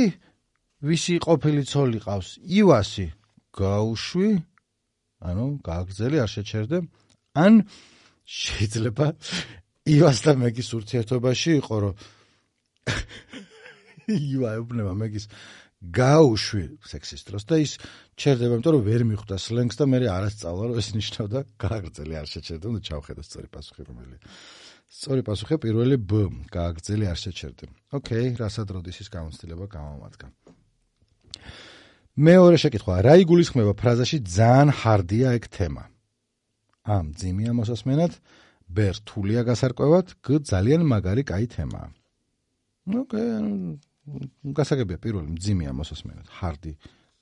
ვისი ყოფილი ცოლი ყავს ივასი გაუშვი ანუ გააგრძელი არ შეჩერდე ან შეიძლება ივას და მეგის ურთიერთობაში იყო რომ ივა ეუბნება მეგის გაუშვი სექსის დროს და ის ჩერდება იმიტომ რომ ვერ მიხვდა სლენგს და მე არ ასწავლა რომ ეს ნიშნავდა გააგრძელი არ შეჩერდე და ჩავხედო სწორი პასუხი რომელია სწორი პასუხი პირველი B გააგრძელი არ შეჩერდე ოკეი რასად როდის ის გამოცდილება გამომადგა მეორე შეკითხვა რა იგულისხმება ფრაზაში ძალიან ჰარდია ეგ თემა A მძიმეა მოსასმენად B რთულია გასარკვევად G ძალიან მაგარი კაი თემაა ოკეი გასაგებია პირველი მძიმეა მოსასმენად ჰარდი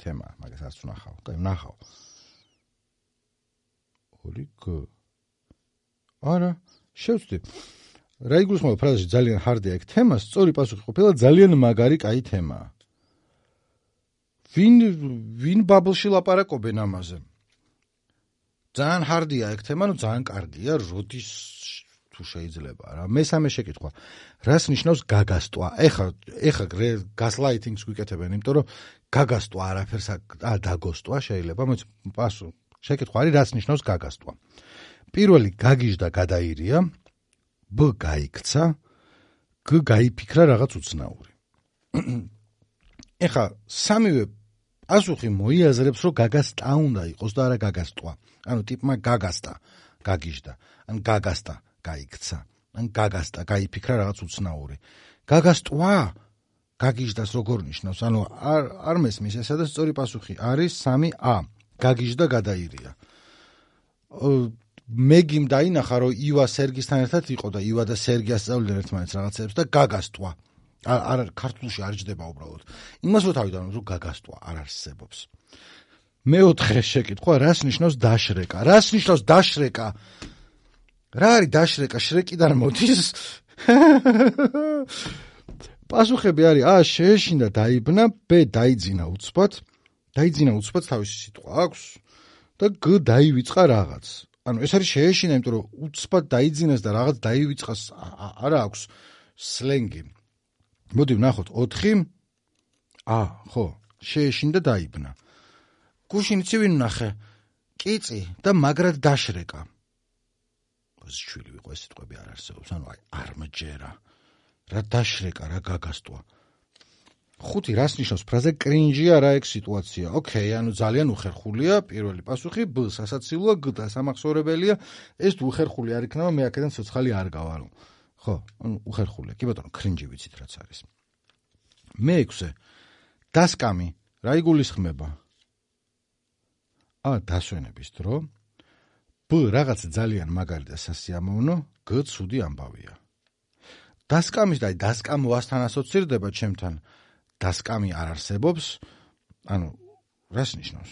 თემა მაგას არც ვნახავ კაი ვნახავ ორი G არა შევწდი რა იგულისხმება ფრაზაში ძალიან ჰარდია ეგ თემა სწორი პასუხი ყოფილა ძალიან მაგარი კაი თემაა ვინ ვინ ბაბლში ლაპარაკობენ ამაზე ძალიან ჰარდია ეგ თემა ნუ ძალიან კარგია როდის თუ შეიძლება რა მესამე შეკითხვა რას ნიშნავს გაგასტვა ეხა ეხა გასლაითინგს გვიკეთებენ იმიტომ რომ გაგასტვა არაფერს ა დაგოსტვა შეიძლება მოიც პასუ შეკითხვა არის რას ნიშნავს გაგასტვა პირველი გაგიჟდა გადაირია B გაიქცა G გაიფიქრა რაღაც უცნაური ეხა სამივე პასუხი მოიაზრებს რომ გაგასტა უნდა იყოს და არა გაგასტვა ანუ ტიპმა გაგასტა გაგიჟდა ან გაგასტა გაიქცა ან გაგასტა გაიფიქრა რაღაც უცნაური გაგასტვა გაგიჟდას როგორ ნიშნავს ანუ არ არ მესმის ესა და სწორი პასუხი არის სამი A გაგიჟდა გადაირია მეგიმ დაინახა რომ ივა სერგისთან ერთად იყო და ივა და სერგი ასწავლდნენ ერთმანეთს რაღაცებს და გაგასტვა არ ქართულში არ ჯდება უბრალოდ იმას რო თავიდან რომ გაგასტვა არ არსებობს მეოთხე შეკითხვა რას ნიშნავს დაშრეკა რას ნიშნავს დაშრეკა რა არის დაშრეკა შრეკიდან მოდის პასუხები არის A შეეშინდა დაიბნა B დაიძინა უცბად დაიძინა უცბად თავისი სიტყვა აქვს და G დაივიწყა რაღაც ანუ ეს არის შეეშინა იმიტომ რომ უცბად დაიძინეს და რაღაც დაივიწყას არა აქვს სლენგი მოდი ვნახოთ ოთხი A ხო შეეშინდა დაიბნა გუშინ იცი ვინ ვნახე კიწი და მაგრად დაშრეკა შვილი ვიყო ეს სიტყვები არ არსებობს ანუ აი არ მჯერა რა დაშრეკა რა გაგასტვა ხუთი რას ნიშნავს ფრაზე კრინჯია რა ეგ სიტუაცია ოკეი ანუ ძალიან უხერხულია პირველი პასუხი B სასაცილოა G დასამახსოვრებელია ეს უხერხული არ იქნება მე აქედან ცოცხალი არ გავარო ხო ანუ უხერხულია კი ბატონო კრინჯი ვიცით რაც არის მეექვსე დასკამი რა იგულისხმება A დასვენების დრო B ბ რაღაც ძალიან მაგარი და სასიამოვნო, გ ცუდი ამბავია. დასკამის და დასკამვასთან ასოცირდება ჩემთან. დასკამი არ არსებობს, ანუ რას ნიშნავს?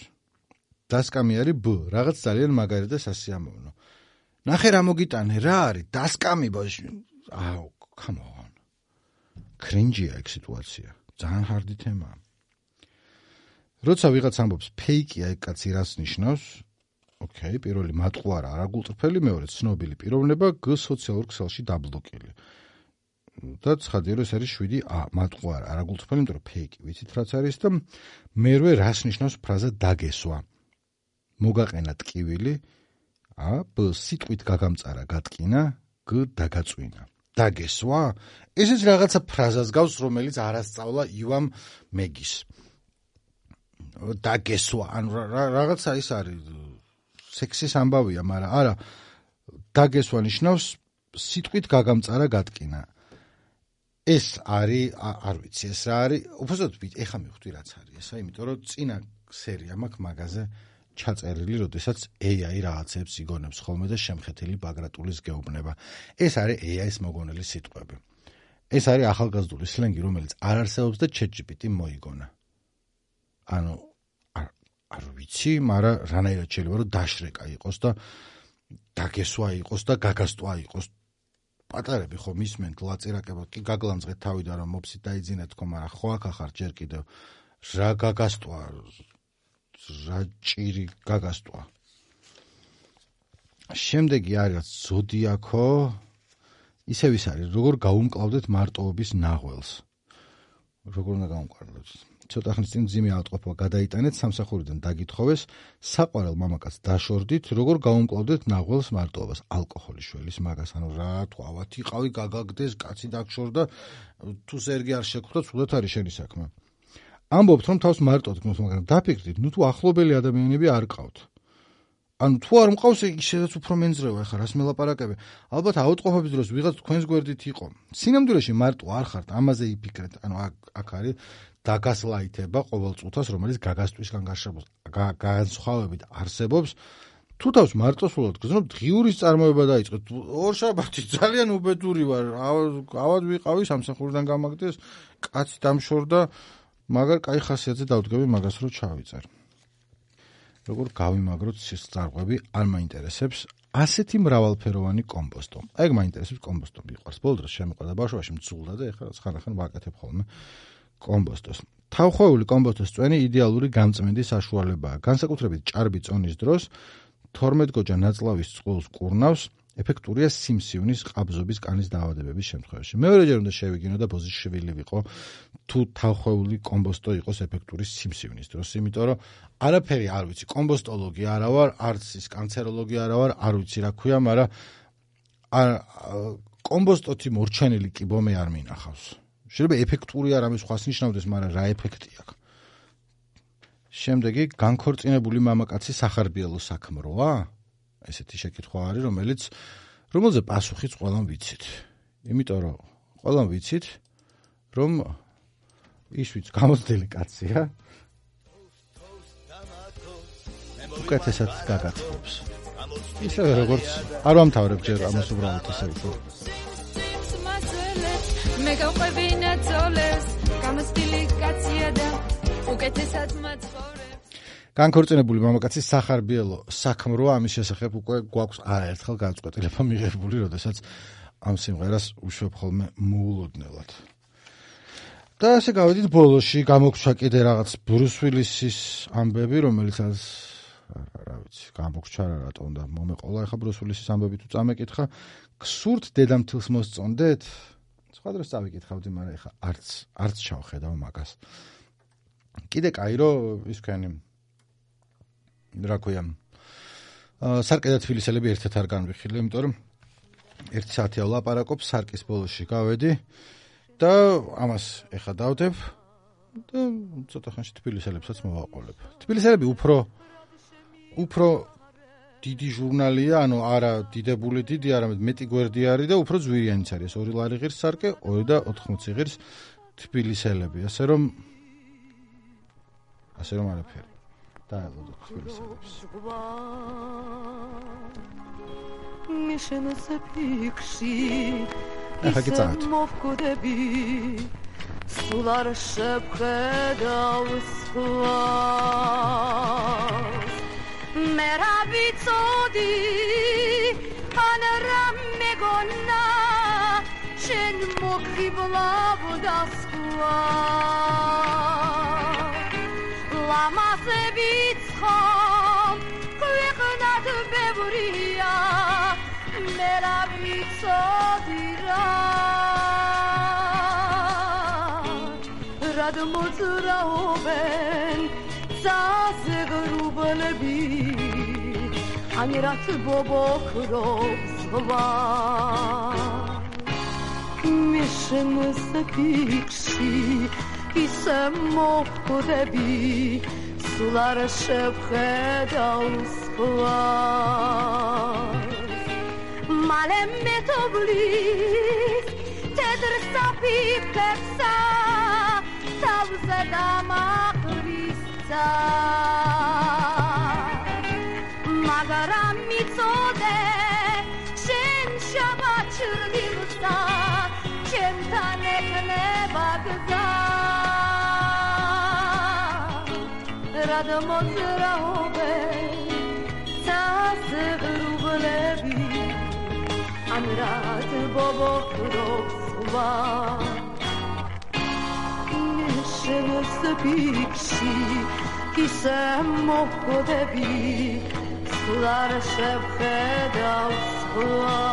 დასკამი არის ბ, რაღაც ძალიან მაგარი და სასიამოვნო. ნახე რა მოგიტანე, რა არის? დასკამი ბოშ. აუ, come on. კრინჯია ეგ სიტუაცია. ძალიან ჰარდი თემაა. როცა ვიღაც ამბობს ფეიკია ეგ კაცი რას ნიშნავს? ოკეი, პირველი მატყუარა არაგულწრფელი, მეორე ცნობილი პიროვნება, გ სოციალურ ქსელში დაბლოკილი. და ცხადია რომ ეს არის შვიდი ა მატყუარა არაგულწრფელი, იმიტომ რომ ფეიკი ვიცით რაც არის და მერვე რას ნიშნავს ფრაზა დაგესვა. მოგაყენა ტკივილი, ა ბ სიტყვით გაგამწარა გატკინა, გ დაგაწვინა. დაგესვა? ესეც რაღაცა ფრაზას გავს, რომელიც არასწავლა ივამ მეგის. დაგესვა, ანუ რაღაცა ის არის სექსის ამბავია, მაგრამ არა, დაგესვა ნიშნავს სიტყვით გაგამწარა გატკინა. ეს არის, არ ვიცი, ეს რა არის, უბრალოდ ეხა მივხვდი რაც არის ესა, იმიტომ რომ წინა სერია მაქვს მაგაზე ჩაწერილი, როდესაც ეი აი რაღაცებს იგონებს ხოლმე და შემხეთილი ბაგრატულის გეუბნება. ეს არის ეი აის მოგონილი სიტყვები. ეს არის ახალგაზრდული სლენგი, რომელიც არ არსებობს და ChatGPT მოიგონა. ანუ არ ვიცი, მაგრამ რანაირად შეიძლება რომ დაშრეკა იყოს და დაგესვა იყოს და გაგასტვა იყოს. პატარები ხო მისმენთ ლაწირაკებად, კი გაგლამძღეთ თავიდან რომ მოფსით დაიძინეთ თქო, მაგრამ ხო აქ ახარ ჯერ კიდევ რა გაგასტვა, რა ჭირი გაგასტვა. შემდეგი არის ზოდიაქო, ისევ ის არის, როგორ გაუმკლავდეთ მარტოობის ნაღველს. როგორ უნდა გავუმკლავდეთ? ცოტა ხნის წინ მძიმე ავადმყოფობა გადაიტანეთ, სამსახურიდან დაგითხოვეს, საყვარელ მამაკაც დაშორდით, როგორ გაუმკლავდეთ ნაღველს მარტოობას, ალკოჰოლის შველის მაგას, ანუ რა თქვა, ავათი ყავი გაგაგდეს, კაცი დაგშორდა, თუ ზერგი არ შეგვხვდა, ცუდად არის შენი საქმე. ამბობთ, რომ თავს მარტოდ გნოთ, მაგრამ დაფიქრდით, ნუ თუ ახლობელი ადამიანები არ ყავთ. ანუ თუ არ მყავს, ისედაც უფრო მენძრევა, ეხლა რას მელაპარაკები? ალბათ ავადმყოფობის დროს ვიღაც თქვენს გვერდით იყო. სინამდვილეში მარტო არ ხართ, ამაზე იფიქრეთ, ანუ აქ არის დაგასლაითება ყოველ წუთას, რომელიც გაგასტვისგან განსხვავებით არსებობს. თუ თავს მარტოსულად გზნობ, დღიურის წარმოება დაიწყეთ. ორშაბათი ძალიან უბედური ვარ, ავად ვიყავი, სამსახურიდან გამაგდეს, კაცი დამშორდა, მაგარ კაი ხასიათზე დავდგები მაგას რო ჩავიწერ. როგორ გავიმაგროთ სისწარყვები, არ მაინტერესებს ასეთი მრავალფეროვანი კომპოსტო. ეგ მაინტერესებს კომპოსტო. მიყვარს ბოლო დროს შემიყვა და ბავშვობაში მძულდა და ეხლა ხან-ხან ვაკეთებ ხოლმე კომპოსტოს. თავხოვული კომპოსტოს წვენი იდეალური გამწმენდის საშუალებაა. განსაკუთრებით ჭარბი წონის დროს თორმეტგოჯა ნაწლავის წყვილს კურნავს, ეფექტურია სიმსივნის ყაბზობის კანის დაავადებების შემთხვევაში. მეორეჯერ უნდა შევიგინო და ბოზის შვილი ვიყო, თუ თავხოვული კომპოსტო იყოს ეფექტური სიმსივნის დროს, იმიტომ რომ არაფერი არ ვიცი, კომპოსტოლოგი არა ვარ, არც ის კანცეროლოგი არა ვარ, არ ვიცი რა ქვია, მაგრამ კომპოსტოთი მორჩენილი კიბომე არ მინახავს. შეიძლება ეფექტური არ ამის სხვას ნიშნავდეს, მაგრამ რა ეფექტი აქვს. შემდეგი განქორწინებული მამაკაცი სახარბიელო საქმროა? ესეთი შეკითხვა არის, რომელიც რომელზე პასუხიც ყველამ ვიცით. იმიტომ რომ ყველამ ვიცით, რომ ის ვიც გამოცდილი კაცია. უკეთესად გაგაცნობს. ისევე როგორც არ ვამთავრებ ჯერ ამას უბრალოდ ესე ვთქვა. მე გავყვებინა ძოლეს, გამოცდილი კაცია და უკეთესად მაცხოვრებს. განქორწინებული მამაკაცის სახარბიელო საქმროა, ამის შესახებ უკვე გვაქვს არაერთხელ განწყვეტილება მიღებული, როდესაც ამ სიმღერას უშვებ ხოლმე მოულოდნელად. და ასე გავედით ბოლოში, გამოგჩა კიდე რაღაც ბრუს უილისის ამბები, რომელიც რა ვიცი, გამოგჩა რა რატომ და მომეყოლა ახლა ბრუს უილისის ამბები თუ წამეკითხა, გსურთ დედამთილს მოსწონდეთ? სხვა დროს წავიკითხავდი, მაგრამ ახლა არც არც ჩავხედავ მაგას. კიდე კაი რომ ის თქვენი რა ქვია, სარკე და თბილისელები ერთად არ განვიხილე, იმიტომ რომ ერთი საათი ვლაპარაკობ, სარკის ბოლოში გავედი და ამას ეხა დავდებ და ცოტა ხანში თბილისელებსაც მოვაყოლებ. თბილისელები უფრო უფრო დიდი ჟურნალია, ანუ არა დიდებული დიდი, არამედ მეტი გვერდი არის და უფრო ძვირიანიც არის. ორი ლარი ღირს სარკე, ორი და ოთხმოცი ღირს თბილისელები, ასე რომ ასე რომ არაფერი. დაელოდოთ თბილისელებს. მიშენს ფიქში ახლა კი წავით. მოვკვდები სულ არ შევხედავ სხვას მე რა ვიცოდი ან რა მეგონა შენ მოგხიბლავდა სხვას ლამაზე ვიცხომ ქვეყნად ბევრია მე რა ვიცოდი რა რად მოძრაობენ ძაზე ღრუბლები ან რაც ბობოქრობს ზღვა მიშენს ფიქში ისე მოვკვდები სულ არ შევხედავ სხვას მალე მეთოვლის თეთრ საფიფქებსა თავზე დამაყრისცა მაგრამ მიწოდე შენ შაბაჩრდილსა ჩემთან ეკნება გზა რად მოძრაობენ ძაზე ღრუბლები ან რად ბობოქრობს ზღვა მიშენს ფიქში ისე მოვკვდები სულ არ შევხედავ სხვას